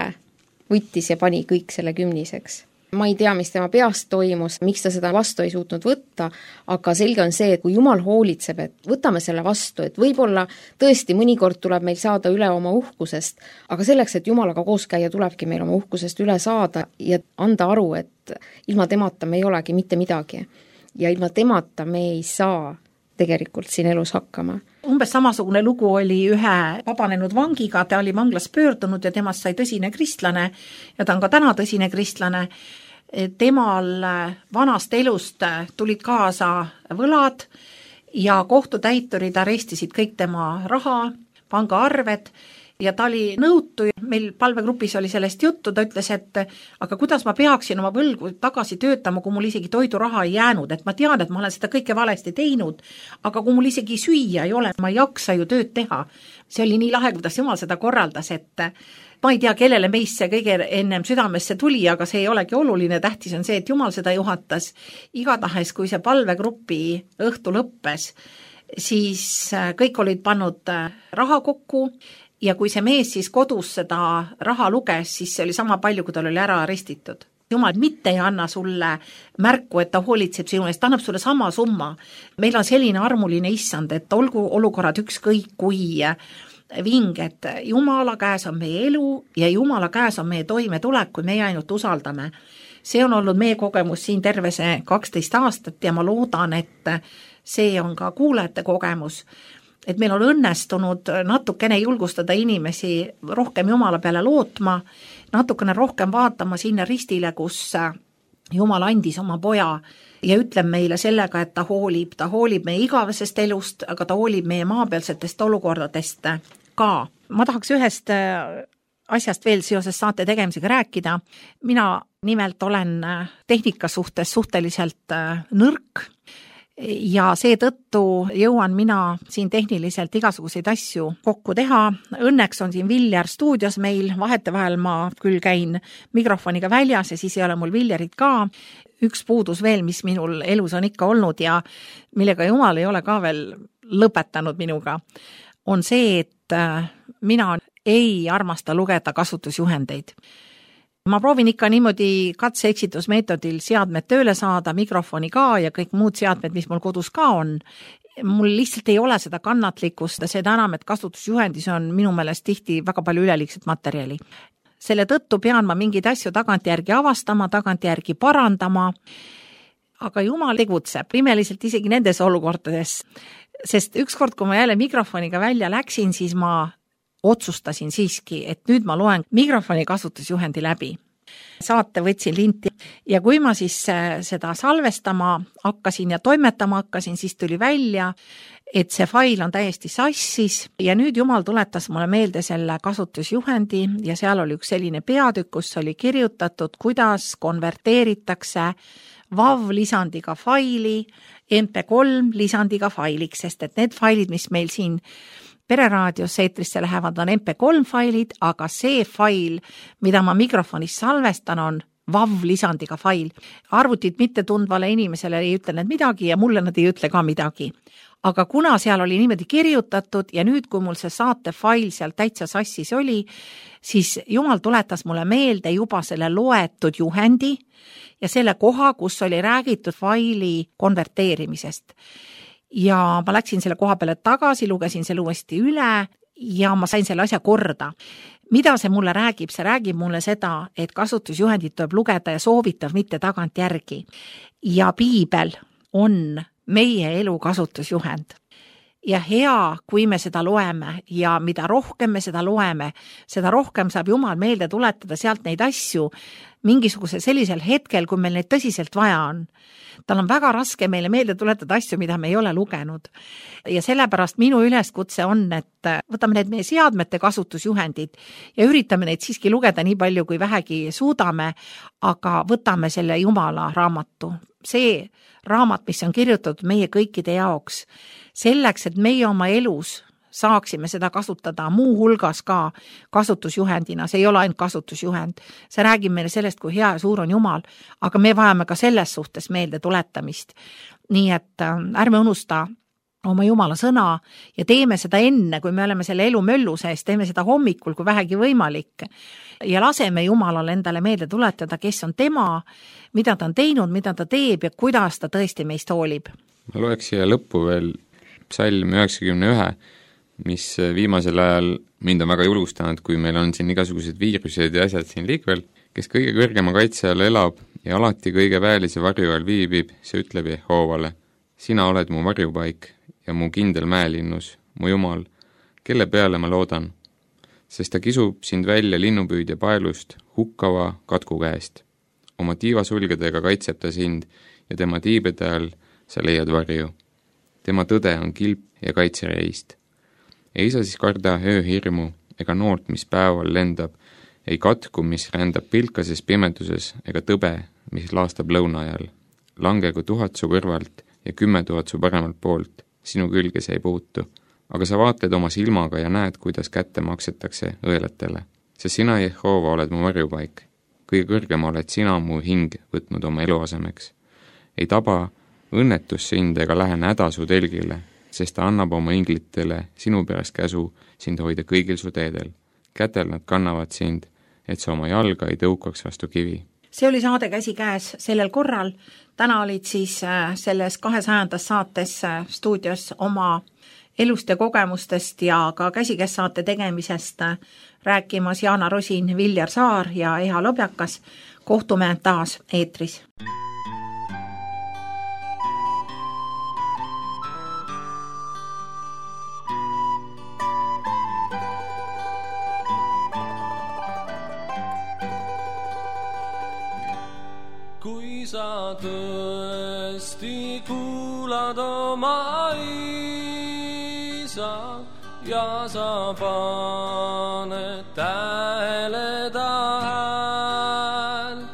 võttis ja pani kõik selle kümniseks. ma ei tea, mis tema peast toimus, miks ta seda vastu ei suutnud võtta, aga selge on see, et kui Jumal hoolitseb, et võtame selle vastu, et võib-olla tõesti mõnikord tuleb meil saada üle oma uhkusest, aga selleks, et Jumalaga koos käia, tulebki meil oma uhkusest üle saada ja anda aru, et ilma temata me ei olegi mitte midagi. Ja ilma temata me ei saa tegelikult siin elus hakkama. Umbes samasugune lugu oli ühe vabanenud vangiga, ta oli vanglas pöördunud ja temast sai tõsine kristlane ja ta on ka täna tõsine kristlane. Temal vanast elust tulid kaasa võlad ja kohtutäiturid arestisid kõik tema raha, pangaarved ja ta oli nõutu, meil palvegrupis oli sellest juttu, ta ütles, et aga kuidas ma peaksin oma võlgu tagasi töötama, kui mul isegi toiduraha ei jäänud, et ma tean, et ma olen seda kõike valesti teinud, aga kui mul isegi süüa ei ole, ma ei jaksa ju tööd teha. See oli nii lahe, kuidas Jumal seda korraldas, et ma ei tea, kellele meist see kõige ennem südamesse tuli, aga see ei olegi oluline, tähtis on see, et Jumal seda juhatas. Igatahes, kui see palvegrupi õhtu lõppes, siis kõik olid pannud raha kokku ja kui see mees siis kodus seda raha luges, siis see oli sama palju, kui tal oli ära arestitud. Jumal mitte ei anna sulle märku, et ta hoolitseb sinu eest, ta annab sulle sama summa. Meil on selline armuline issand, et olgu olukorrad ükskõik kui vinged. Jumala käes on meie elu ja Jumala käes on meie toimetulek, kui meie ainult usaldame. See on olnud meie kogemus siin terve see kaksteist aastat ja ma loodan, et see on ka kuulajate kogemus. Et meil on õnnestunud natukene julgustada inimesi rohkem Jumala peale lootma, natukene rohkem vaatama sinna ristile, kus Jumal andis oma poja ja ütleb meile sellega, et ta hoolib, ta hoolib meie igavesest elust, aga ta hoolib meie maapealsetest olukordadest ka. Ma tahaks ühest asjast veel seoses saate tegemisega rääkida. Mina nimelt olen tehnika suhtes suhteliselt nõrk, ja seetõttu jõuan mina siin tehniliselt igasuguseid asju kokku teha. Õnneks on siin Viljar stuudios meil, vahetevahel ma küll käin mikrofoniga väljas ja siis ei ole mul Viljarit ka. Üks puudus veel, mis minul elus on ikka olnud ja millega Jumal ei ole ka veel lõpetanud minuga, on see, et mina ei armasta lugeda kasutusjuhendeid. Ma proovin ikka niimoodi katse-eksitusmeetodil seadmed tööle saada, mikrofoni ka ja kõik muud seadmed, mis mul kodus ka on. Mul lihtsalt ei ole seda kannatlikkust, seda enam, et kasutusjuhendis on minu meelest tihti väga palju üleliigset materjali. Selle tõttu pean ma mingeid asju tagantjärgi avastama, tagantjärgi parandama, aga Jumal tegutseb imeliselt isegi nendes olukordades, sest ükskord, kui ma jälle mikrofoniga välja läksin, siis ma otsustasin siiski, et nüüd ma loen mikrofoni kasutusjuhendi läbi. Saate võtsin linti ja kui ma siis seda salvestama hakkasin ja toimetama hakkasin, siis tuli välja, et see fail on täiesti sassis ja nüüd Jumal tuletas mulle meelde selle kasutusjuhendi ja seal oli üks selline peatükk, kus oli kirjutatud, kuidas konverteeritakse vav lisandiga faili M P kolm lisandiga failiks, sest et need failid, mis meil siin Pereraadios eetrisse lähevad, on M P kolm failid, aga see fail, mida ma mikrofonis salvestan, on vav lisandiga fail. Arvutit mitte tundvale inimesele ei ütle need midagi ja mulle nad ei ütle ka midagi. Aga kuna seal oli niimoodi kirjutatud ja nüüd, kui mul see saate fail seal täitsa sassis oli, siis Jumal tuletas mulle meelde juba selle loetud juhendi ja selle koha, kus oli räägitud faili konverteerimisest. Ja ma läksin selle koha peale tagasi, lugesin selle uuesti üle ja ma sain selle asja korda. Mida see mulle räägib? See räägib mulle seda, et kasutusjuhendit tuleb lugeda ja soovitav mitte tagant järgi. Ja piibel on meie elu kasutusjuhend. Ja hea, kui me seda loeme ja mida rohkem me seda loeme, seda rohkem saab Jumal meelde tuletada sealt neid asju mingisuguse sellisel hetkel, kui meil neid tõsiselt vaja on. Tal on väga raske meile meelde tuletada asju, mida me ei ole lugenud. Ja sellepärast minu üleskutse on, et võtame need meie seadmete kasutusjuhendid ja üritame neid siiski lugeda nii palju, kui vähegi suudame, aga võtame selle Jumala raamatu. See raamat, mis on kirjutatud meie kõikide jaoks, selleks, et meie oma elus saaksime seda kasutada muu hulgas ka kasutusjuhendina. See ei ole ainult kasutusjuhend. See räägib meile sellest, kui hea ja suur on Jumal, aga me vajame ka selles suhtes meelde tuletamist. Nii et ärme unusta oma Jumala sõna ja teeme seda enne, kui me oleme selle elu möllu sees, teeme seda hommikul, kui vähegi võimalik. Ja laseme Jumalale endale meelde tuletada, kes on tema, mida ta on teinud, mida ta teeb ja kuidas ta tõesti meist hoolib. Ma loeks siia lõppu veel psalm üheksakümne ühe, mis viimasel ajal mind on väga julgustanud, kui meil on siin igasugused viirused ja asjad siin liikvel, kes kõige kõrgema kaitse all elab ja alati kõige väelise varju all viibib, see ütleb Jehoovale, sina oled mu varjupaik ja mu kindel mäelinnus, mu Jumal, kelle peale ma loodan, sest ta kisub sind välja linnupüüdja paelust hukkava katku käest. Oma tiivasulgedega kaitseb ta sind ja tema tiibede all sa leiad varju. Tema tõde on kilp ja kaitsereist. Ei saa siis karda ööhirmu ega noort, mis päeval lendab, ei katku, mis rändab pilkases pimeduses ega tõbe, mis laastab lõuna ajal. Langegu tuhat su kõrvalt ja kümme tuhat su paremalt poolt, sinu külge see ei puutu. Aga sa vaatled oma silmaga ja näed, kuidas kätte maksetakse õelatele. Sest sina, Jehova, oled mu varjupaik. Kõige kõrgema oled sina mu hing võtnud oma eluasemeks. Ei taba õnnetus sind ega lähe häda su telgile, sest ta annab oma inglitele sinu pärast käsu sind hoida kõigil su teedel. Kätel nad kannavad sind, et sa oma jalga ei tõukaks vastu kivi. See oli saade Käsikäes sellel korral. Täna olid siis selles kahesajandas saates stuudios oma elust ja kogemustest ja ka Käsikäes saate tegemisest rääkimas Jaana Rosin, Viljar Saar ja Eha Lobjakas. Kohtume taas eetris. Kui sa tõesti kuulad oma isa ja sa paned tähele ta häält,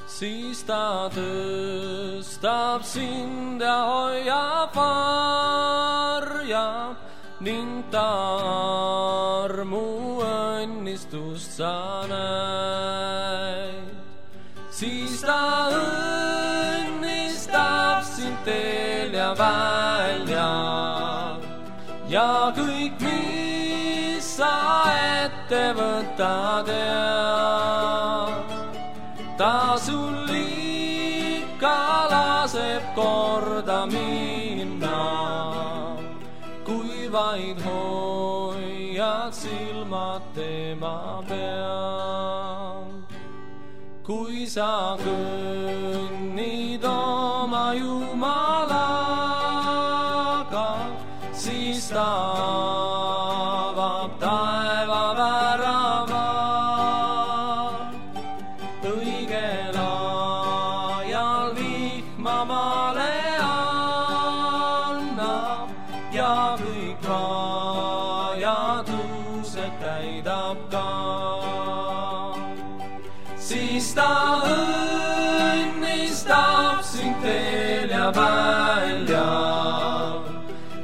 siis ta tõstab sind ja hoiab varjab ning ta armu õnnistust sa näid. Siis ta õnnistab sind teel ja välja ja kõik, mis sa ette võtad ja ta sul ikka laseb korda minna, kui vaid hoiad silmad tema peal. Kui sa kõnnid oma Jumalaga, siis ta avab taeva väravad. Õigel ajal vihma maale annab ja kõik vajadused täidab ka. Siis ta õnnistab sind teel ja välja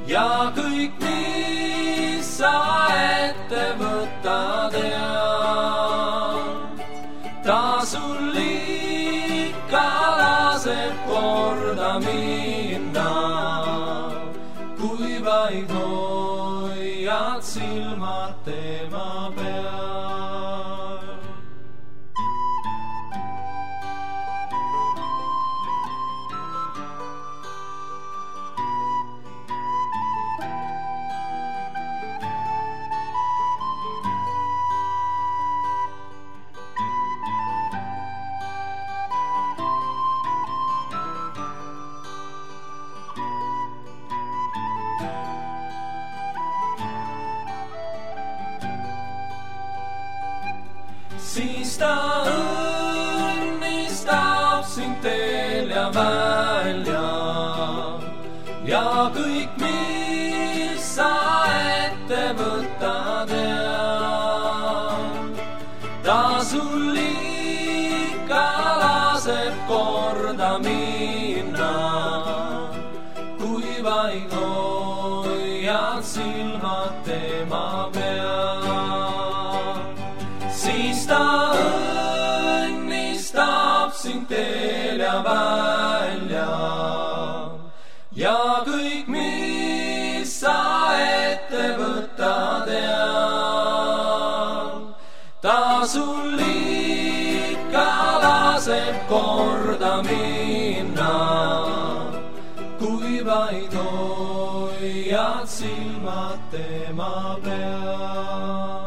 ja kõik, mis sa ette võtad ja ta sul ikka laseb korda minna, kui vaid hoiad silmad tema peal. Siis ta õnnistab sind teel ja välja ja kõik, mis sa ette võtad ja ta sul ikka laseb korda minna, kui vaid hoiad silmad tema peal. Siis ta õnnistab sind teel ja välja ja kõik, mis sul ikka laseb korda minna, kui vaid hoiad silmad tema peal.